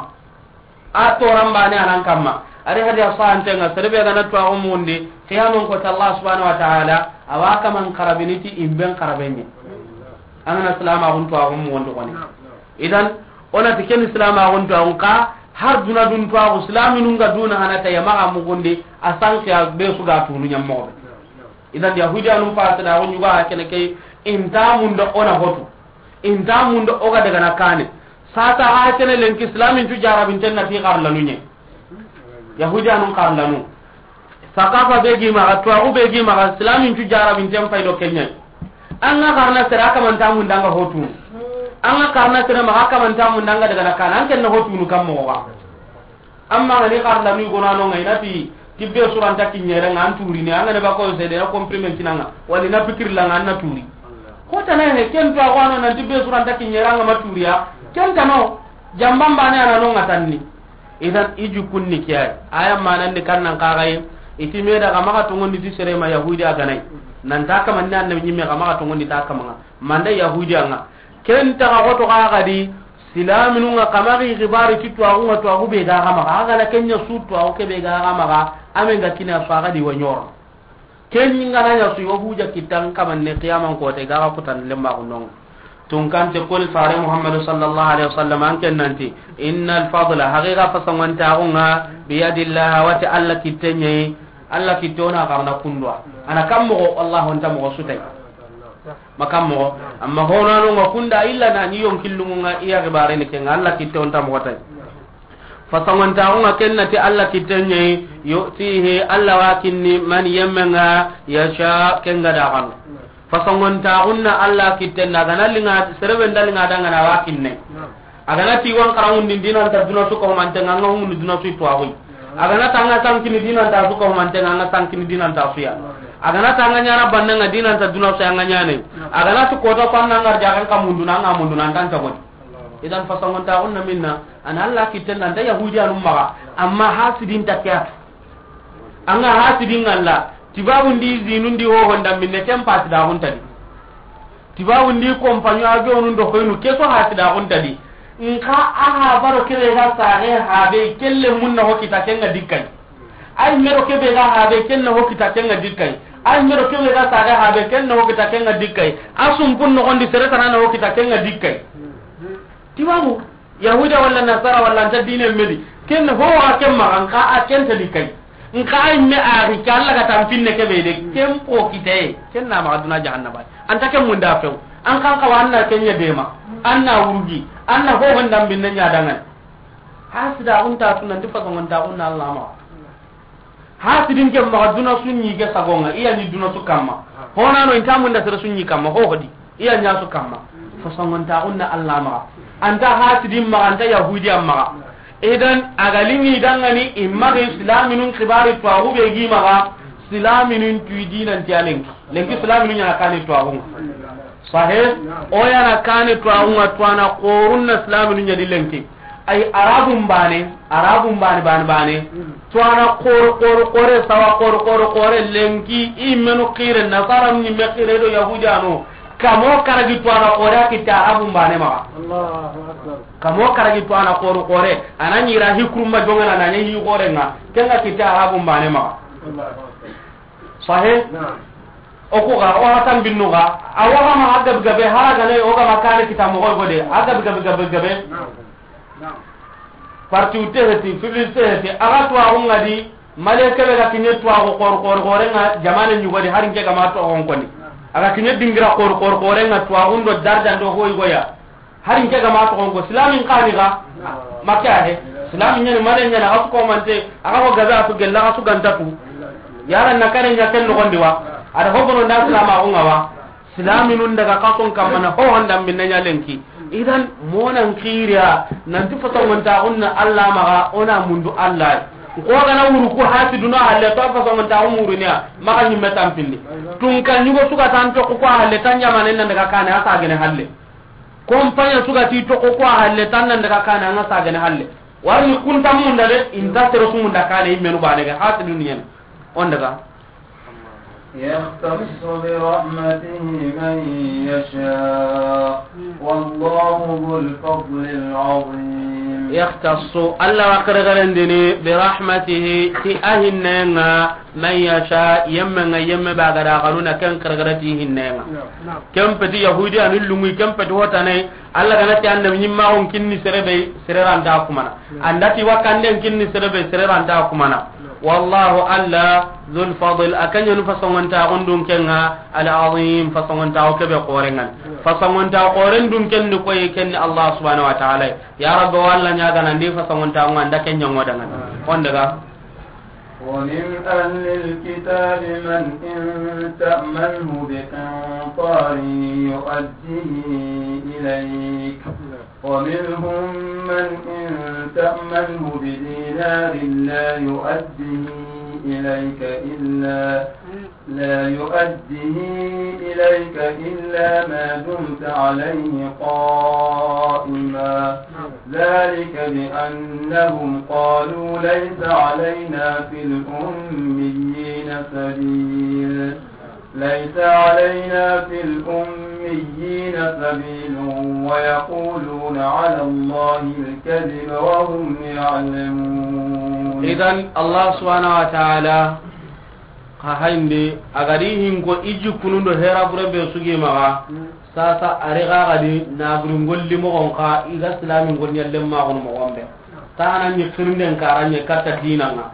A toran bane a nan kamma. Ari hadi a sahanten ŋa, sere be ga na tuwaaxu muxundi, qiyaman kota Allah subhanahu wa ta'ala a wa kaman xarabini ti imben xaraben ɲe. An ga na silamaxun tuwaaxu muxundi xoni. Idan, o na ti ken silamaxun tuwaaxun xa, har duna dun tuwaaxu, silaminun ga duna hana tay maxa muxundi, a sanqiya be su ga tunu ɲa moxo be. Idan Yahudiyanun fasidaxu ɲuga ha kene ke, inta munda o na hotu, inta munda o ga daga na kane. Sasa ha kene lenki silamin cu jarabinten na ti xarlanu ɲe. Yahudiyanun xarlanu. Sakafa be gi maxa, tuwaaxu be gi maxa, silamin cu jarabinten fay do ken ɲa. An ga xarana sere a kamanta munda an ga hotunu. An ga xarana sere maxa a kamanta munda an ga daga na kane. An ken na hotunu kam moxo ga. Amma ga ni xarlanu i gonano ŋa i na ti tibbe suranta kiɲere ŋa an turini, an ga ne ba ko sede na comprimé kinanga, wali na pikir la ŋa an na turi. Ko tana he ken tuwaaxu a no nan tibbe suranta kiɲere ŋa ma turiya. Ken tano. Jamban bane a na no ŋa tanni. Idan i jikkunni ke ay. Aya manandi kannan xa ga yi. I ti me da xa maxa tongondi ti sere ma Yahudi a ga na yi. Nan ta kamanni annabi ɲimme xa maxa tongondi ta kamanga. Manda Yahudi a ŋa. Ken ta ga xoto xa ga di. Silaminun ŋa xa maxa i xibari ti tuwaaxu ŋa tuwaaxu be ga xa maxa. A ga na ken ɲa su tuwaaxu ke be ga xa maxa. A me ga kina su a ga di wa ɲoro. Ken ɲi ga na ɲa su yo hujja kitan kamanne qiyaman kote ga ga kutan lemmaxu no ŋa. Tunkante koni fare Muhammadu sallallahu alaihi wasallam an ken nanti, innal fadla, haqiqa fasangontaxu ŋa, biyadillah, a wa ti Alla kitte ɲa yi. Alla kitte o na xarana kunduwa. A na kam moxo, Alla honta moxo su tay. Ma kam moxo. Amma honano ŋa kunda illa na ni yonkillungu ŋa iya xibare ni ke ŋa, Alla kitte o nta moxo tay. Fasangontaxu ŋa ken na ti Alla kitte ɲa yi, yu'tihi, Alla wa kinni, man yemme ŋa, yasha, ken ga da xanu. Fasangontaxun na Alla kitte na, a ga na linga, sere be nda linga da ŋa na wa kinne. A ga na ti wan xaranŋundi dinanta duna su ko mante ŋa, ŋa hundu duna su tuwaaxu yi. A ga na ta ŋa sankini dinanta su ko mante ŋa, ŋa sankini dinanta su ya. A ga na ta ŋa ɲana banna ŋa dinanta duna su ya ŋa ɲane. A ga na ti kota ko an na ŋa arja kan ka mundu na ŋa mundu na an tan ta goni. Idan fasangontaxun na minna, a na Alla kitte na nda Yahudiyanun maxa, amma hasidin ta ke ya. An ga hasidin ŋa Alla, tibabu ndi zinu ndi hoho nda minne ken fasidaxun ta di. Tibabu ndi compagnon avion nu ndo hoynu ke so hasidaxun ta di. Nxa a ha baro kebe ga sare habe kelle mun na hokita ken ŋa dikkay. Ay mero kebe ga habe ken na hokita ken ŋa dikkay. Ay mero kebe ga sare habe ken na hokita ken ŋa dikkay. A sumpun no gondi sere tana na hokita ken ŋa dikkay. Tibabu, Yahuda wala Nasara wala nta dine medi. Ken ho a ken maxa, nxa a ken ta dikkay. Nxa ay me a ri ke Alla ga tampinne kebe de, ken po kite, ken na maxa duna jahannaba. Anta ken munda few. An kan xawa an na ken ɲa dema. An na wurgi. An na ho honda binne ɲa dangan. Hasida unta tunan di fasangontaxun na Alla maxa. Hasidin ke maxa duna su ɲi ke sago ŋa, i ya ɲi duna su kamma. Honano inta munda sere su ɲi kamma, ho hodi. I ya ɲa su kamma. Fasangontaxun na Alla maxa. Anta hasidin maxa, anta Yahudiyan maxa. Idan, a ga lini dangani, i maxa silaminun xibari tuwaxu be gi maxa, silaminun tuyi dinanti a lenki. Lenki silaminun ɲana kani tuwaxu ŋa. Sahe, o ya na kani tuwaxu ŋa, tuwana xorun na silaminun ɲa di lenki. Ay Arabun bane, Arabun bane, bane, bane. Tuwana xoro, xoro, xore, sawa xoro, xoro, xore, lenki, i menu xire, Nasara ni me xire do Yahudiyano. Kamo karagi tuwana xore a kitta Arabun bane maxa. Allahu Akbar. Kamo karagi tuwana xoro, xore. A na ɲira hikrumma jongana na ɲi xore ŋa. Ken ŋa kitta Arabun bane maxa. Allahu Akbar. Sahe? Naam. O ku ga, o hatan binnu ga. A wa ga ma a gabe gabe, hara gane, o ga ma kare kita moxo gode. A gabe gabe gabe gabe. Naam. Naam. Parti u teheti, fibli teheti, a ga tuwaxu ŋa di, male kebe ga kiɲe tuwaxu xor, xor, xore ŋa, jamane ɲugo di, hari nke ga ma tuwaxu koni. A ga kiɲe dingira xor, xor, xoren ŋa tuwaaxun do darajan do hoy goya. Hari nke ga ma toxon ko, silaamin xa ni ga? Makke a he. Silaamin ɲa ni, malen ɲa ni, a ga su komante, a ga ho gabe a su gella, a ga su ganta tu. Yala na kare ɲa ken noxon di wa? A da ho bono nda silaamaxun ŋa wa? Silaaminun daga kason kamana ho honda minna ɲa lenki. Idan, monan kiriya, nanti fasongontaaxun na Alla maxa, o na mundu Alla. Ko gana wuru ku hasiduna halle, to fasongontaaxu muruniya, maxa ɲimme tampindi. Tunka ɲugo suga tan toxo ku halle, tan jamanen nan daga kane, a sagene halle. Kompanya suga ti toxo ku halle, tan nan daga kane, an ga sagene halle. Warni kunta munda de, inta sere su munda kane, i menu bane ga, hasidun ɲen. On daga. يختص برحمته من يشاء والله ذو الفضل العظيم. يختص، Alla wa xerexerendini, برحمته، ti a hinnenga, من يشاء، yemme nga yemme ba ga da xanuna ken xerexere ti hinnenga. Ken peti Yahudi anu lungu, ken peti hotane, Alla gana ti annabi ɲimmaxun kinni sere be, sere ranta kumana. Andati wakkanden kinni sere be, sere ranta kumana. Wallahu Alla, dhul fadl, a keɲenu fasongontaxun dun kenga, al azim, fasongontaxu kebe xorengan. Fasongontaxu xoren dun kenni koyi, kenni Allah subhanahu wa ta'ala. Ya Rabbi, wa Alla ɲagana ndi fasongontaxun anda ken ɲangodangani. On daga. ومن أهل الكتاب من إن تأمنه بقنطار يؤده إليك، ومنهم من إن تأمنه بدينار لا يؤده إليك إلا، لا يؤده إليك إلا ما دمت عليه قائما. ذلك بأنهم قالوا ليس علينا في الأميين سبيل، ليس علينا في الأميين سبيل ويقولون على الله الكذب وهم يعلمون. إذن الله سبحانه وتعالى Xa hayndi, a ga di hinko i jikkunun do hera bure be sugi maxa, sasa a ri xa ga di naburi ngolli moxon xa, i ga silami ngol ɲallen maxunu moxon be. Taxana ɲi xirinden kara ɲe katta dinanga.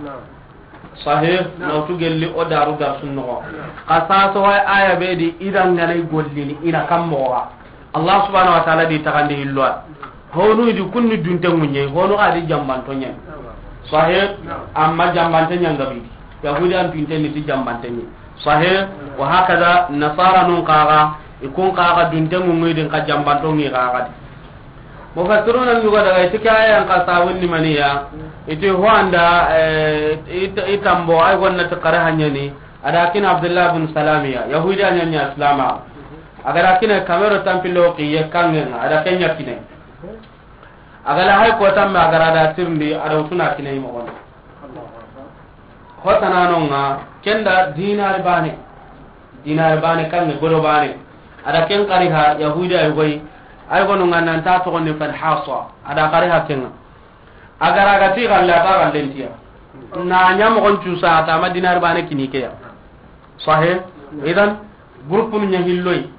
Sahih, nawtu gelli o daru darsun noxo. Xa sasa way aya be di i danganay gollini i na kam moxo xa. Allah subhanahu wa ta'ala di taxandi hilloa. Honu di kunni dunte ŋuɲe, honu xa di jambanto ɲen. Sahih, amma jambante ɲangabidi. Yahudi an pinte ni ti jambante ni. Sahih, wa hakada nasara nun kaga, ikun kaga dunte ŋuŋi din ka jambanto ŋi kaga di. Mufassiruna ɲugo daga iti ke ayan ka sawunni maniya, iti ho anda, eh, it-, itambo ay gonna ti kare hanyani, ada kin Abdullah bin Salamiya, Yahudi anya nya Islama. A ga da kine kamero tampilo kiye kanŋen ŋa, a da kenya kine. A ga la hay ko tamme a ga ra da tirindi, a da wutuna kine i moxon. Hotananon ŋa, kenda dinari bane. Dinari bane kanŋe, godo bane. A da ken kari ha, Yahudi ay goy. Ay gonu ŋa nan ta toxoni fal hasa. A da kari ha kenŋa. A ga ra ga ti galle, a ta gallen tiya. Na ɲa moxon cusa, a ta ma dinari bane kini ke ya. Sahih? Idan, groupe nu ɲa hilloy.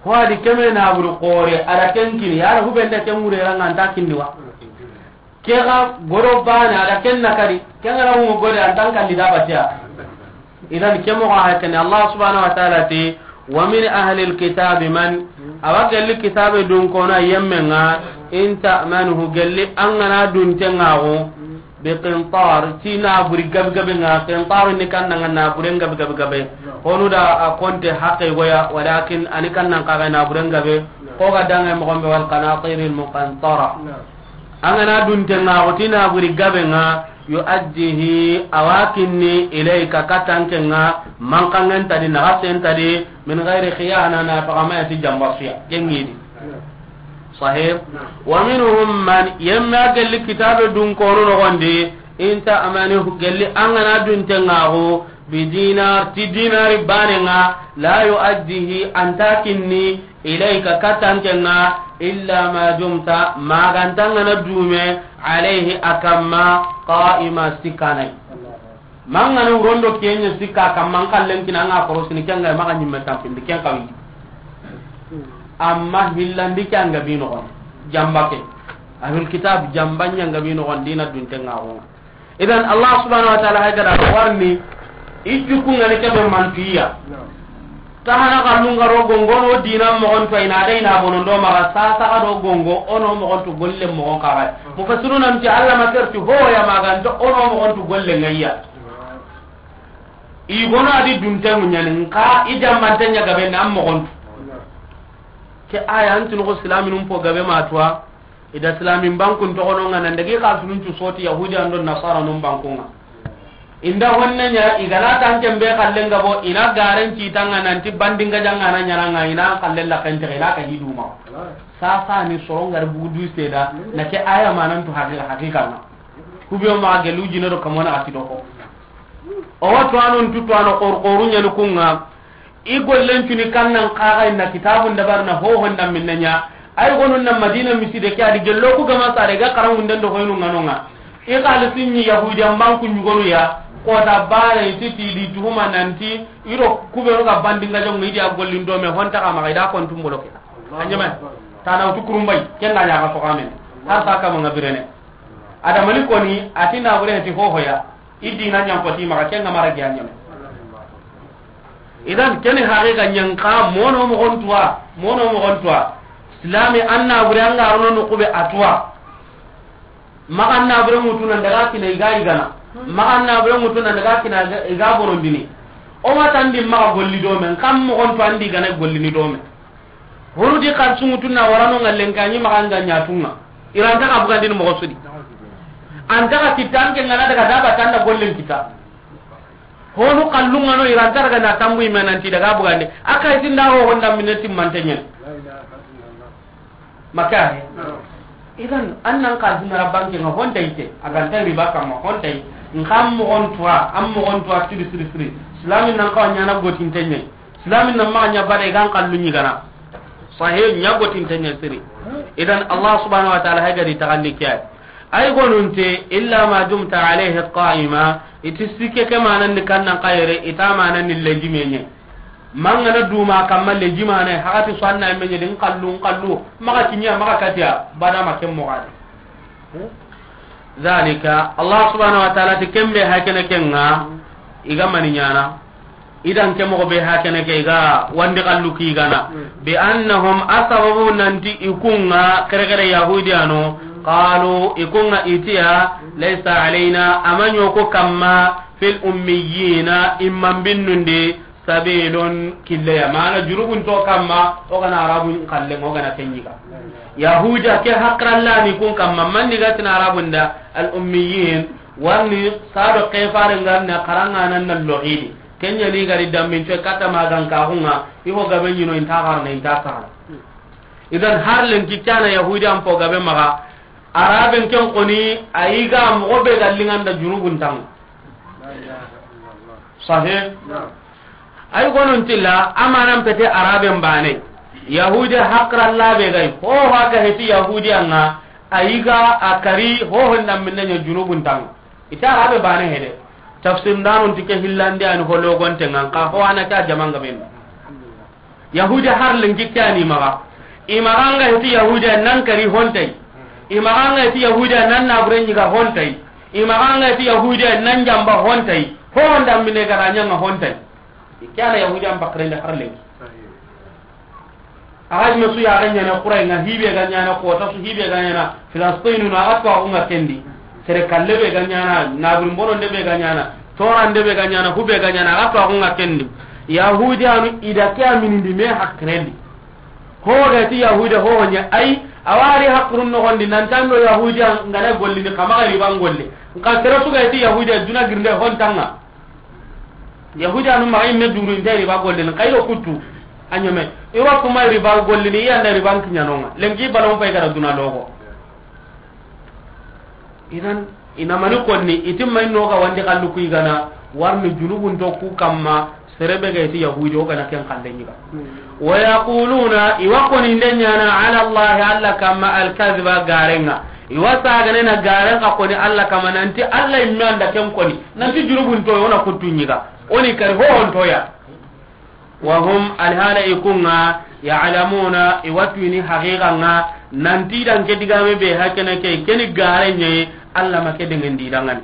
Ho a di keme na buru xore, a da ken kini, ya da hubende ken wure ranga anta kindi wa. Ke ga godo bane, a da ken na kari, ken ga ra hungu gode, antan kalli da batiya. Idan ke moxo ha kene, Allah subhanahu wa ta'ala ti, wa min ahli alkitabi man, awa gelli kitabe dun kono yemme ŋa, in ta'manhu, gelli an ga na dunte ŋa go, bi qintar, ti na buri gabe gabe ŋa, qintar ni kan ŋa na buri gabe gabe gabe. Honu da a konte haqe goya, walakin ani kan nan kaga na buri gabe, ko ga danga moxon be wal qanatir al muqantara. An ga na dunte ŋa go ti na buri gabe ŋa, yu'addihi, awa kinni, ilayka, katanke ŋa, man kanŋen tadi, na gasen tadi, min ghairi khiyana, na faga ma ya ti jamba suya. Kengidi. Sahih. Wa minhum man, yemme a gelli kitabe dun kono noxondi, in ta'manhu, gelli an ga na dunte ŋa go, bi dinar, ti dinari bane ŋa, la yu'addihi, anta kinni, ilayka, katanke ŋa, illa ma dumta, ma ga nta ŋa na dume, alayhi, a kamma, qa'ima, sikkanay. Ma ŋa na wurondo kenya sikka kamma, an kallen kina ŋa korosini, ken ga ma ga ɲimme tampindi, ken kawi. Amma hillandi ke an ga bi noxon. Jamba ke. Ahlul kitab jamba ɲa an ga bi noxon dina dunte ŋa go. Idan Allah subhanahu wa ta'ala hay gada warni, i jukku ŋa ni kebe mantiya. Sahana kallun ga ro gongo no dina moxon to, i na da i na bonondo maxa, sasa ga do gongo o no moxon to golle moxon kaxa. Mufassiruna nti Alla ma serti ho ya maganta o no moxon to golle ŋa ya. I gono a di dunte ŋuɲani nka i jammante ɲa gabe na moxon to. Ke aya anti no silaminun po gabe ma tuwa. I da silamin bankun toxono ŋa nan dagi xalisunun cu soti Yahudi an do Nasara nun bankun ŋa. Inda honne ɲa i gana tanken be xallen gabo i na garen ci tanga nanti bandinga janga na ɲana ŋa i na xallen la kente i na ka hiduma. Sasa ni soron gar bugu du seda na ke aya manan tu haqiqa haqiqa ŋa. Kubiyo ma gelu jino do kamona ati do ko. O wa tuwanun tu tuwano xor xoru ɲani kun ŋa. I gollen cuni kannan kaxa inna kitabun dabar na hohon da minna ɲa. Ay gonun na Madina miside ke adi gello ku gama sare ga karangunden do hoynu ŋanonga. I xalisin ni Yahudiyan banku ɲugonu ya. Kota bana iti ti di tuhuma nanti iro kubenu ga bandinga jong idi a gollin do me honta kama ga ida kon tumbolo ke. Anyama tana utu kurumbay kenna ɲa ga soxamen. Har sa kama nga birene. Adamani koni ati na bure ti hohoya. I dina ɲankoti maxa ke ŋa mara giya ɲame. Idan keni haqiqa ɲanka mono moxon tuwa mono moxon tuwa. Silami an na bure an ga rono no kube a tuwa. Maxa an na bure ŋutu nan daga kina i ga i gana. Maxa an na bure ŋutu nan daga kina i ga borondini. O ma tandi maxa golli do men kam moxon tuwa andi gana gollini do men. Honu di xalisunŋu tunna warano ŋallen kaɲi maxa nga ɲatunŋa. Iranta xa bugandini moxo sudi. Anta xa kitta anke ŋana daga daba tanda gollen kita. Honu xallunŋano iranta daga na tambu ime nanti daga bugandi. A kay tinda ho honda minne timmante ɲen. Maka he. Idan annan xalisunna ra banke ŋa honta ite. Aganta riba kamma honta ite. Nkam moxon tuwa am moxon tuwa siri siri siri. Islamin nan kawa ɲana gotinte ɲen. Islamin nan maxa ɲa bada i gan kallu ɲigana. Sahe ɲa gotinte ɲa siri. Idan Allah subhanahu wa ta'ala hay gadi taxandi ke ay. Ay gonunte illa ma dumta alayhi qa'ima. Iti sikke ke mananni kannan kayere ita mananni lejime ɲe. Mangana duma kamma lejimane hakati so anna menye din kallu kallu maxa kinya maxa katiya bada ma ken moxade. Zalika Allah subhanahu wa ta'ala ti kembe hakene kenga. Iga mani ɲana. Idan ke moxo be hakene ke ga wandi kallu ki gana. Bi annahum asababu nanti ikunga kere kere yahudiyano. Qalu ikunga itiya laysa alayna amanyo ko kamma fil ummiyina imman binnundi sabilun killeya mana jurubun to kamma o gana arabun kallen o gana kenyiga. Yahudiya ke hakrallani kun kamma manni gatina arabun da al ummiyin. Warni sado kefare ngarna karanga nan na lohidi. Kenya ni gari dammin to kata magan ka hunga iho gabe nyino inta garna inta sahana. Idan har len kikkana yahudi an po gabe maga araben ken koni ayiga mo be gallinganda junubun tang. Sahih. Ay gonon tilla amanan pete araben bane. Yahudi hakralla be gay ho haga heti yahudi anga ayiga akari ho honda minna junubun tang. Ita arabe bane hede. Tafsir ndanon tike hillande ani hologonte ngan ka ho ana ka jamanga ben. Yahudi har lenki kani maga. Imaganga heti yahudi nan kari hontai. Imaganga heti yahudi nan nabure nyiga hontai. Imaganga heti yahudi nan jamba hontai. Honda mine garanya nga hontai. Ikana yahudi am bakrende har lenki. Axa me su yaxe ɲana xuray nga hibe ga ɲana kota su hibe ga ɲana filastinu na axa tuwaxu nga kendi. Sere kalle be ga ɲana naburi mbono nde be ga ɲana tora nde be ga ɲana hube ga ɲana axa tuwaxu nga kendi. Yahudiyanu ida ke aminindi me hakkirendi. Ho ga ti yahudiya ho ɲa ay awari hakkirun noxondi nantando yahudiya ngana gollini kamaxa riban golle. Nka sere su ga ti yahudiya duna girnde hontanga. Yahudi anu maxa imme duru inte riba gollini kayro kuttu. A ɲome iro kuma riba gollini i anda riban kiɲanonga lenki balon pay gara duna logo. Idan ina mani konni itimma inno ga wandi kallu ku igana warni junubun to ku kamma. Serebe ga iti yahudi o gana ken kalle ɲiga. Wa yaquluna iwa koni nde ɲana ala allahi alla kamma alkaziba garenga. Iwa sagane na garen ka koni alla kamma nanti alla imme anda ken koni. Nanti junubun to wona kuttu ɲiga. Oni kari hohontoya. Wa hum alhala ikunga ya'lamuna iwatuni haqiqa nga. Nanti dan ke digame be hakene ke keni gare nye. Alla ma ke dengan di dangani.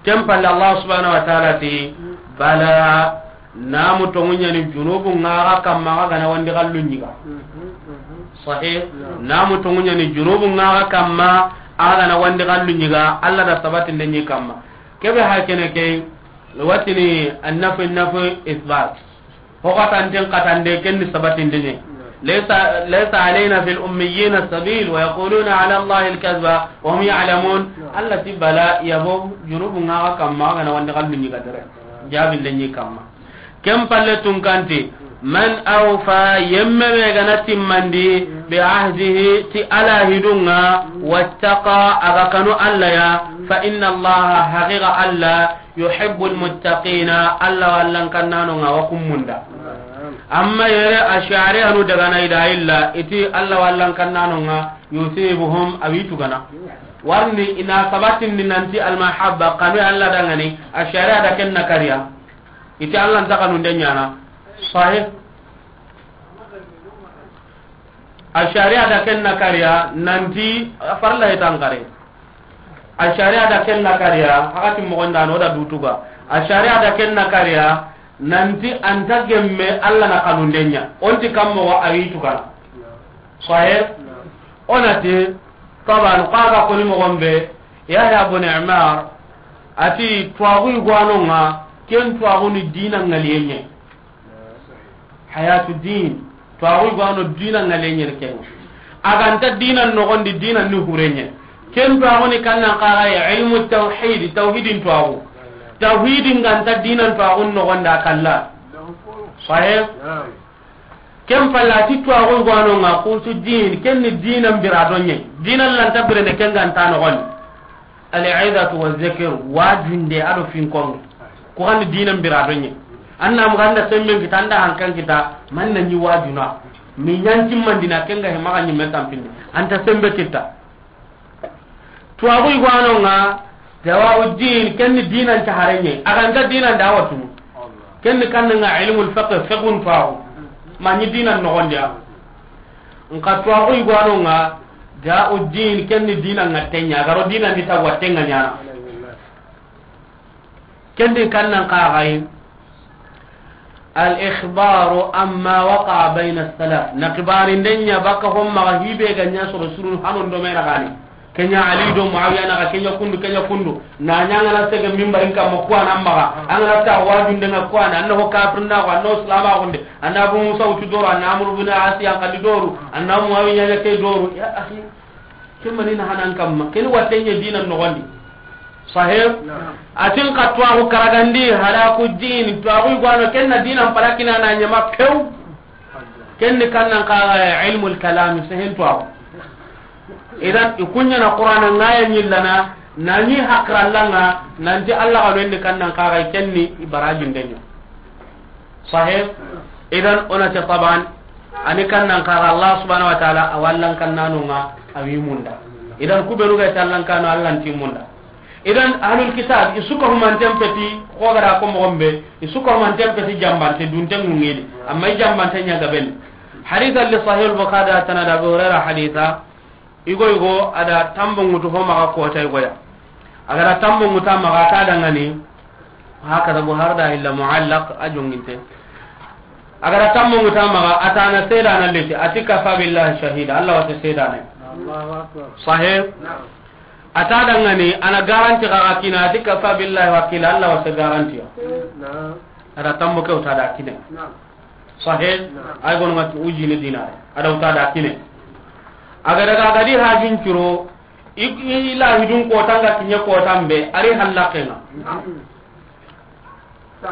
Ken palle Allah subhanahu wa ta'ala ti bala. Namu tonŋu ɲa ni junubu ŋa ga kamma, a ga na wandi xallu ɲiga. Sahih. Namu tonŋu ɲa ni junubu ŋa ga kamma, a ga na wandi xallu ɲiga, Alla da sabatinde ɲi kamma. Kebe ha kene ke, watini annafi nafi isbat. Ho xatanten xatande ken ni sabatinde ɲe. Laysa, laysa alayna fil ummiyina sabil wa yaquluna ala Allahi al-kadhiba wa hum ya'lamun. Alla ti bala yabo junubu ŋa ga kamma, a ga na wandi xallu ɲiga dere. Jabinde ɲi kamma. Ken palle tunkanti, man awfa, yemme be ga na timmandi, bi ahdihi, ti Alla hidun ŋa, wattaqa, a ga kanu Alla ya, fa inna Allaha, haqiqa Alla, yuhibbul muttaqina, Alla wa Allan kannanon ŋa wa kun munda. Amma yere Ash'ariyanu daga na i da illa, i ti Alla wa Allan kannanon ŋa, yusibuhum, a wi tugana. Warni i na sabatindi nanti almahabba, kanu Alla danŋa ni, Ash'ariya da ken na kariya. I ti Alla nta kanunde ɲaana. Sahih. Ash'ariya da ken na kariya nanti farla hitan kare. Ash'ariya da ken na kariya, hakati moxon da no da dutuga. Ash'ariya da ken na kariya nanti a nta gemme Alla na kanunde ɲa. O nti kam moxo a wi tugana. Sahih. O na ti, taban, xa ga koni moxon be, Yahya bun Ammar, a ti, tuwaxu i gwanon ŋa, ken tuwaxu ni dina ŋaliye ɲa. Hayatu din, tuwaxu i gwano dina ŋaliye ɲa ken. A ga nta dina noxondi, dina ni hure ɲa. Ken tuwaxu ni kannan xa ga ya ilmu tawhid, tawhidin tuwaxu. Tawhidin ga nta dina tuwaxu noxondi a kalla. Sahih. Ken palla ti tuwaxu i gwanon ŋa, qutu din, ken ni dina mbira do ɲa. Dina lanta birene ken ga nta noxondi. Al-izatu wa zikr, wajunde a do finkonge. Ku xanni dina mbira do ɲa. Anna mu ganda semben kita, anda hankan kita, man na ɲi wajuna. Mi ɲanti mandina ken ga he maxa ɲimme tampindi. A nta sembe kita. Tuwaxu i gwanon ŋa, dawa'u din, ken ni dinan ta hare ɲa. A ga nta dinan da watunu. Ken ni kannan ŋa ilmul fiqh, fiqhun tuwaxu. Ma ɲi dinan noxondi ya. Nxa tuwaxu i gwanon ŋa, da'u din, ken ni dinan ŋa te ɲa. A ga ro dinan di ta watte ŋa ɲaana. Ken di kannan xa ga yi. Al-ikhbaru amma waqa'a bayna as-salaf. Na xibarinde ɲa baka ho maxa hi be ga ɲa soro surun hanon do me na gani. Ken ɲa Ali do Muawiya naxa, ken ɲa kundu, ken ɲa kundu. Na ɲa an ga na sege minbarin kamma, ku wa na maxa. An ga na ta wajunde ŋa, ku wa na, an na ho kafirna ko, an na ho silamaxunde. An na Abu Musa wutu doro, an na Amru bin Asi an xalli doru, an na Muawiya ɲa ke doru. Ya akhi, ken mani na hanan kamma. Ken watte ɲa dinan noxondi. Sahih? Naam. A tin xa tuwaxu karagandi, halaku din, tuwaxu i gwano, ken na dinan palakina na ɲama pew. Ken ni kannan xa ilmul kalam, sehen tuwaxu. Idan, i ku ɲa na Qur'ana ŋa ya ɲillana, na ɲi hakralla ŋa, nanti Alla ga no ni kannan xa, ken ni i barajunde ɲa. Sahih? Idan, o na ti taban, a ni kannan xa, Allah subhanahu wa ta'ala, a wa Allan kannanon ŋa, a wi munda. Idan, ku benu ga ti Allan kanno, Allan ti munda. Idan, ahlul kitab, i su ka humanten peti, xo ga da ko moxon be, i su ka humanten peti jambante, dunte ŋuŋedi. Amma i jambante ɲa gaben. Hadith li Sahih al-Bukhari, a tana da Abu Hurairah haditha, Igo igo, a da tambo ŋutu ho maxa kota igoya. A ga da tambo ŋuta maxa, a ta dangani, hakaza Buhari da illa muallaq, a jonginte. A ga da tambo ŋuta maxa, a ta na sedana leti, a ti kafa billahi shahida, Allah wa ta sedana. Allahu akbar. Sahih? Naam. A ta dangani, a na garanti xa kina, a ti kafa billahi wakila, Allah wa ta garanti. Naam. A da tambo ke wuta da kine. Naam. Sahih? Naam. Ay gono ŋa ti ujine dinare. A da wuta da kine. A ga daga a ga di hajun curo, i, i lahidun kota ŋa kiɲe kota mbe, a ri hallaqe ŋa. Naam.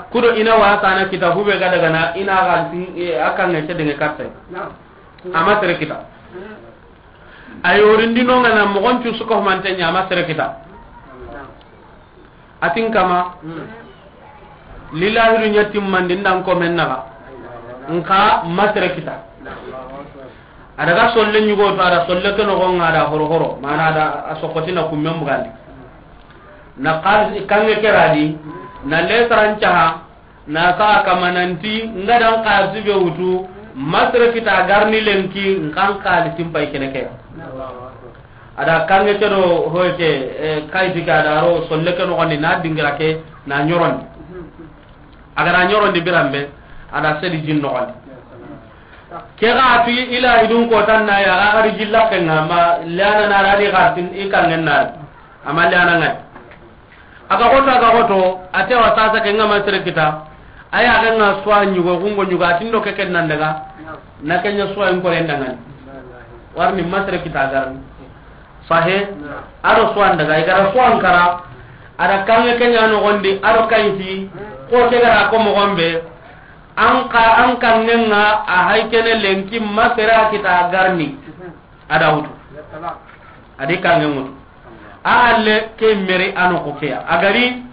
Kudo i na wa sana kita hube ga daga na i na ga si, e, a kan ŋa ce denge katte. Naam. A ma sere kita. A yorindino ŋa na moxon cu su ka humante ɲa, a ma sere kita. Naam. A tin kama, lilahidu ɲa timmandi ndan komen naxa, nxa ma sere kita. A daga solle ɲugo to, a da solle ke noxon ŋa, a da horo horo, mana a da a sokotina kummen bugandi. Na xalisi kanŋe ke ra di, na lesaran caha, na saxa kama nanti, nga dan xalisi be wutu, ma sere kita garni lenki, nxan xalisin pay kene ke. A da kanŋe ke do hoye ke, eh, kayiti ke, a da ro solle ke noxondi, na dingira ke, na ɲorondi. A ga na ɲorondi biranbe, a da sedi jin noxondi. Ke ga tu ila idun ko tan na ya, a ga ri jilla kenga ma lana na ra di ga tin i kangen na. Ama lana ngai. A ga xoto, a ga xoto, a te wa sasa ke nga ma sere kita. A ya ga nga suwa ɲugo, gungo ɲugo, a ti ndo ke ken nan daga. Na ke ɲa suwa in kore ndangani. Warni ma sere kita garni. Sahe? A do suwan daga, i ga ra suwan kara. A da kange ke ɲa noxondi, a do kayiti. Ko ke ga ra ko moxon be. An ka, an kangen nga a hay kene lenki ma sere kita garni. A da wutu. A di kangen wutu. A halle ke meri a noxo ke ya. A gari,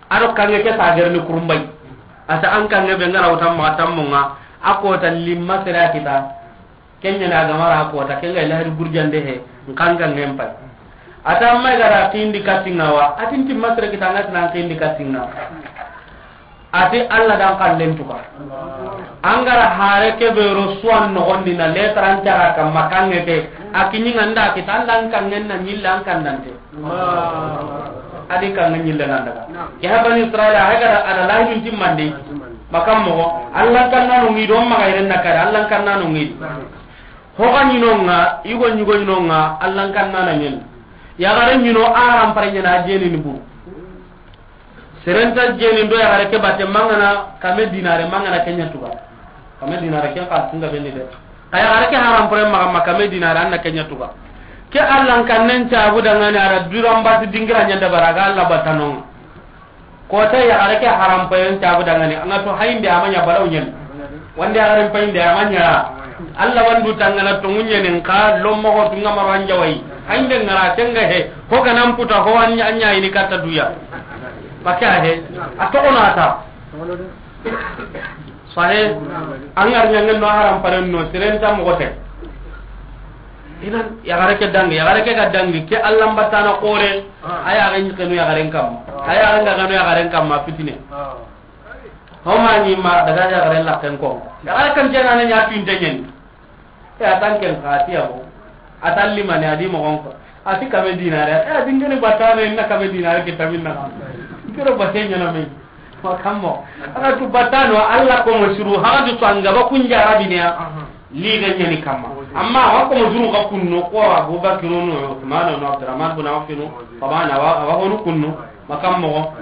a do kange ke sa gerni kurumbay. A ta an kange be nga ra wutan ma tammo nga, a ko ta limma sere kita. Kenya na gamara a ko ta kenga ila hadi gurjande he, nkangangen pay. A ta amma ga ra kindi katinga wa, a ti nti ma sere kita nga ti nan kindi katinga. A ti Alla dan kallen tuka. An ga ra hare ke be ro suwan noxondi na letran cara kamma kange ke. A kiɲi nga nda kita Alla an kangen na ɲilla an kandante. A di kange ɲille nan daga. Ke ha Bani Israila, a ga ra a da lahidun timmandi. Makam moxo, Alla kanna no ngi do ma ga iren na kare, Alla kanna no ngi. Ho ga ɲi no nga, i go ɲi go ɲi no nga, Alla kanna na ɲen. Ya ga ra ɲi no a haram pare ɲena jeni ni bu. Serenta jeni ndo ya gare ke batte mangana kame dinare mangana kenya tuga. Kame dinare ken ka tunga bendi de. Kaya gare ke haram pore maga ma kame dinare anna kenya tuga. Ke Alla kannen cabu dangani ara duran batu dingira ɲanda baraga Alla batanonga. Kota ya gare ke haram pore cabu dangani anga to hayinde amanya balaw nyen. Wande a garen payinde a ma ɲa. Alla wandu tangana to ŋuɲenin ka lommo ho tunga maro an jawai. Hayinde ngara tenga he. Ho ganan puta ho an ɲa ini katta duya. Baka he. A to ona ta. Sahe. An gar ɲangen no haram paren no sirenta mogote. Idan ya gare ke dangi, ya gare ke ga dangi ke Alla batana kore. A ya ga ɲi kenu ya garen kamma. A ya ga kenu ya garen kamma fitine. Ho ma ɲi ma daga ya garen la ken ko. Ya garen kan jena ne ɲa tuinte ɲen. E a tan ken ka ti ya bo. A tan limane a di mo gon ko. A ti kame dinare. E a dingene batane na kame dinare ke tamin na. Kero bate ɲana me. Wa kammo. Ana tu batano Alla ko mo suru ha du to anga ba kun jarabi ne ya. Li ga ɲani kamma. Amma wa ko mo suru ga kunno ko Abubakar no Uthman no Abdurrahman bin Auf no. Tabana wa wa honu kunno. Makammo.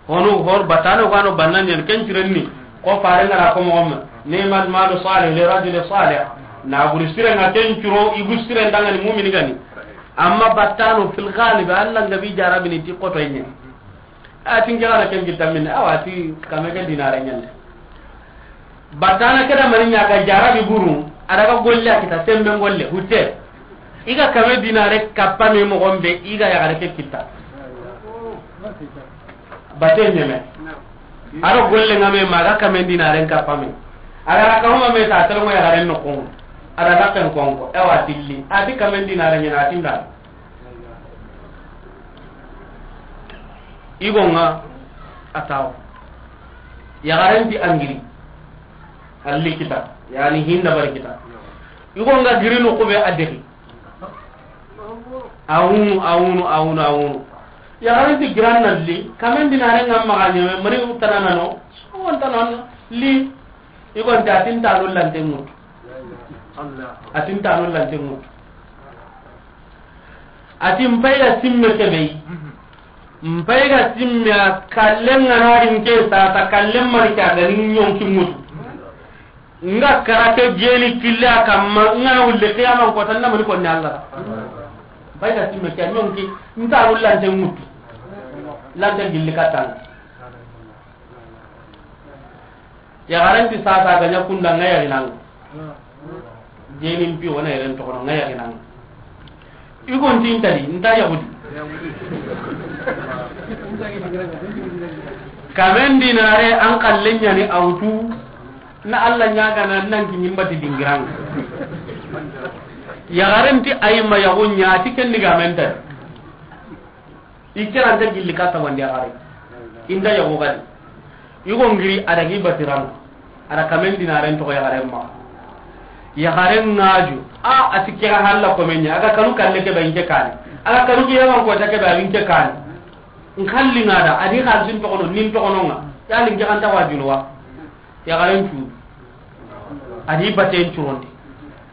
Honu hor batano gano bannan ɲen ken cirenni. Ko fare ngara ko mo gomma. Ni'mal malu salih li rajuli salih. Na buri sire nga ken curo ibu sire ndangani mu'mini gani. Amma batano fil ghalib Alla ngabi jarabini ti koto ɲen. A ti n ke gana ken kitta minne, awa ti kame ke dinare ɲande. Batana ke da mani ɲa ga jarabi buru, a daga golle a kita sembe golle, hutte. I ga kame dinare kappa me mogon be, i ga yagare ke kitta. Bate ɲeme. A do golle nga me ma ga kame dinare kappa me. A ga ra kama me ta telo mo yagare no kon. A daga ken kon ko, e wa tilli. A ti kame dinare ɲana a ti nda. Igo nga a tawo. Yaxaren ti angiri. Alli kita. Yani hinda bari kita. Igo nga giri no kube a dexi. A wunu, a wunu, a wunu, a wunu. Yaxaren ti giran na li. Kamen dinare nga maxa ɲeme, mani tanana no. So tanana li. Igo nta tin tanu lante mutu. A tin tanu lante mutu. A ti n pay ga simme kebe yi. N pay ga simme a kallen ga na rinke sasa kallen mari ke a ga ni ɲonki mutu. Nga kara ke jeni kille a kamma nga na wulle qiyaman ko tan na mani ko ni Allah. N pay ga simme ke ɲonki n ta wullante mutu. Lante gilli katan. Yaxaren ti sasa ga ɲa kunda nga yaxinanga. Jenin pi wona yeren toxono nga yaxinanga. Igon ti ntadi nta yaxudi. Kamen dinare an kallen ɲani awtu. Na Allah ɲagana nan ki ɲimbati dingiranga. Yaxaren ti ayima yaxu ɲa ti ken digamen tadi. I keranta gilli ka tabandi yaxare. Inda yaxu gadi. Yugo ngiri a dagi batirano. A da kamen dinaren toxo yaxaren maxa. Yaxaren ŋaju. A, a ti kera halla komen ɲa. A ga kanu kalle ke ba inke kane. A ga kanu kiyaman kota ke ba inke kane. N kalli nga da, a di xalisin toxono, nin toxono nga. Ya linke xanta wa junuwa. Yaxaren cu. A di baten curonde.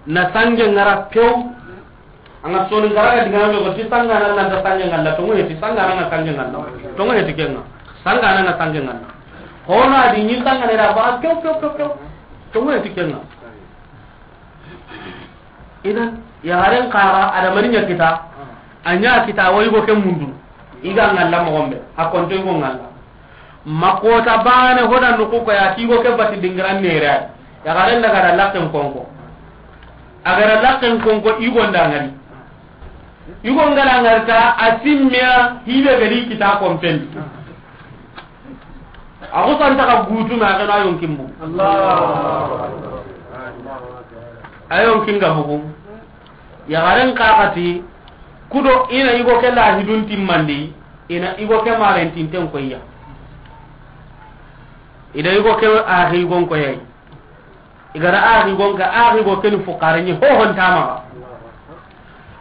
Na sange ŋara pew. An ga soni ŋara ga digame ko ti sangana na ta sange ŋalla, to ŋoye ti sangana na sange ŋalla. To ŋoye ti kenga. Sangana na sange ŋalla. Hono a di ɲin sangana da ba pew, pew, pew, pew. To ŋoye ti kenga. Idan, yaxaren xara, a da mani ɲa kita, a ɲa kita, wa yigo ke mundu. I ga ŋalla moxo be, a konto yigo ŋalla. Ma kota bane hoda nuku ko ya, ti yigo ke bati dingiran nere ay. Yaxaren daga da lakken konko. A ga da lakken konko, yigo nda ŋari. Yigo ngara ŋarta, a simmiya, hibe gari kita kompen. A xusanta ka gutu na, a gana yonkin bu. A yonkin ga bugu. Yaxaren kaxati, kudo ina yigo ke lahidun timmandi, ina yigo ke marentinten koyya. Ida yigo ke axi yigon koyay. I gara axi yigon ka, axi yigo keni fukare ɲi, hohon tamaxa.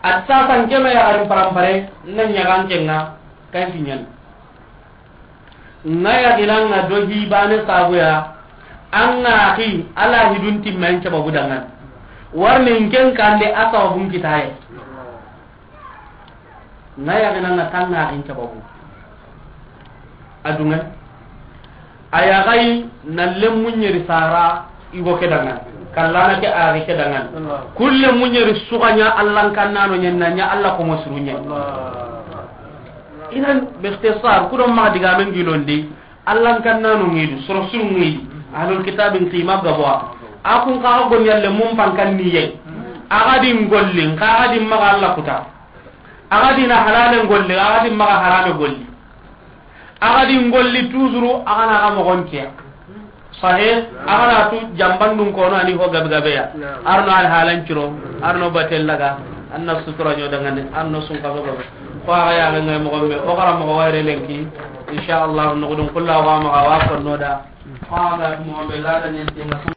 A ti sasan kema yaxarin parampare, na ɲagan kenga, kanki ɲan. Nga yaxinanga do hibane sabuya, an ga axi, a lahidun timmen sababu dangan. Warni nken kande a sababun kitaye. Nga yaxinanga tanga axin sababu. A dungan. A yaxayi na lemmu ɲeri sara yigo ke dangan. Kallana ke axi ke dangan. Kulle mu ɲeri suxaɲa Allan kannano ɲen na ɲa Alla komo suru ɲen. Idan, bixtisar, kudo maxa digamen gilondi, Allan kannano ŋidu, soro suru ŋidi, ahlul kitabin qima gaboa. A kun kaxa goni yalle mun pankan niye. Axa di ngolli, nkaxa di maxa Alla kuta. Axa di na halale ngolli, axa di maxa harame golli. Axa di ngolli toujours, axa na xa moxon kiya. Sahe, axa na tu jambandun kono ani ho gabe gabe ya. Arno al halan ciro, arno batel laga, anna sutura ɲo dangane, arno sun kaso gabe. Ko axa ya ga ngay moxon be, o xara moxo wayre lenki. Insha Allah, no gudun kullu wa maxa wa konno da. Ko axa ga moxon be la da ɲen tinga.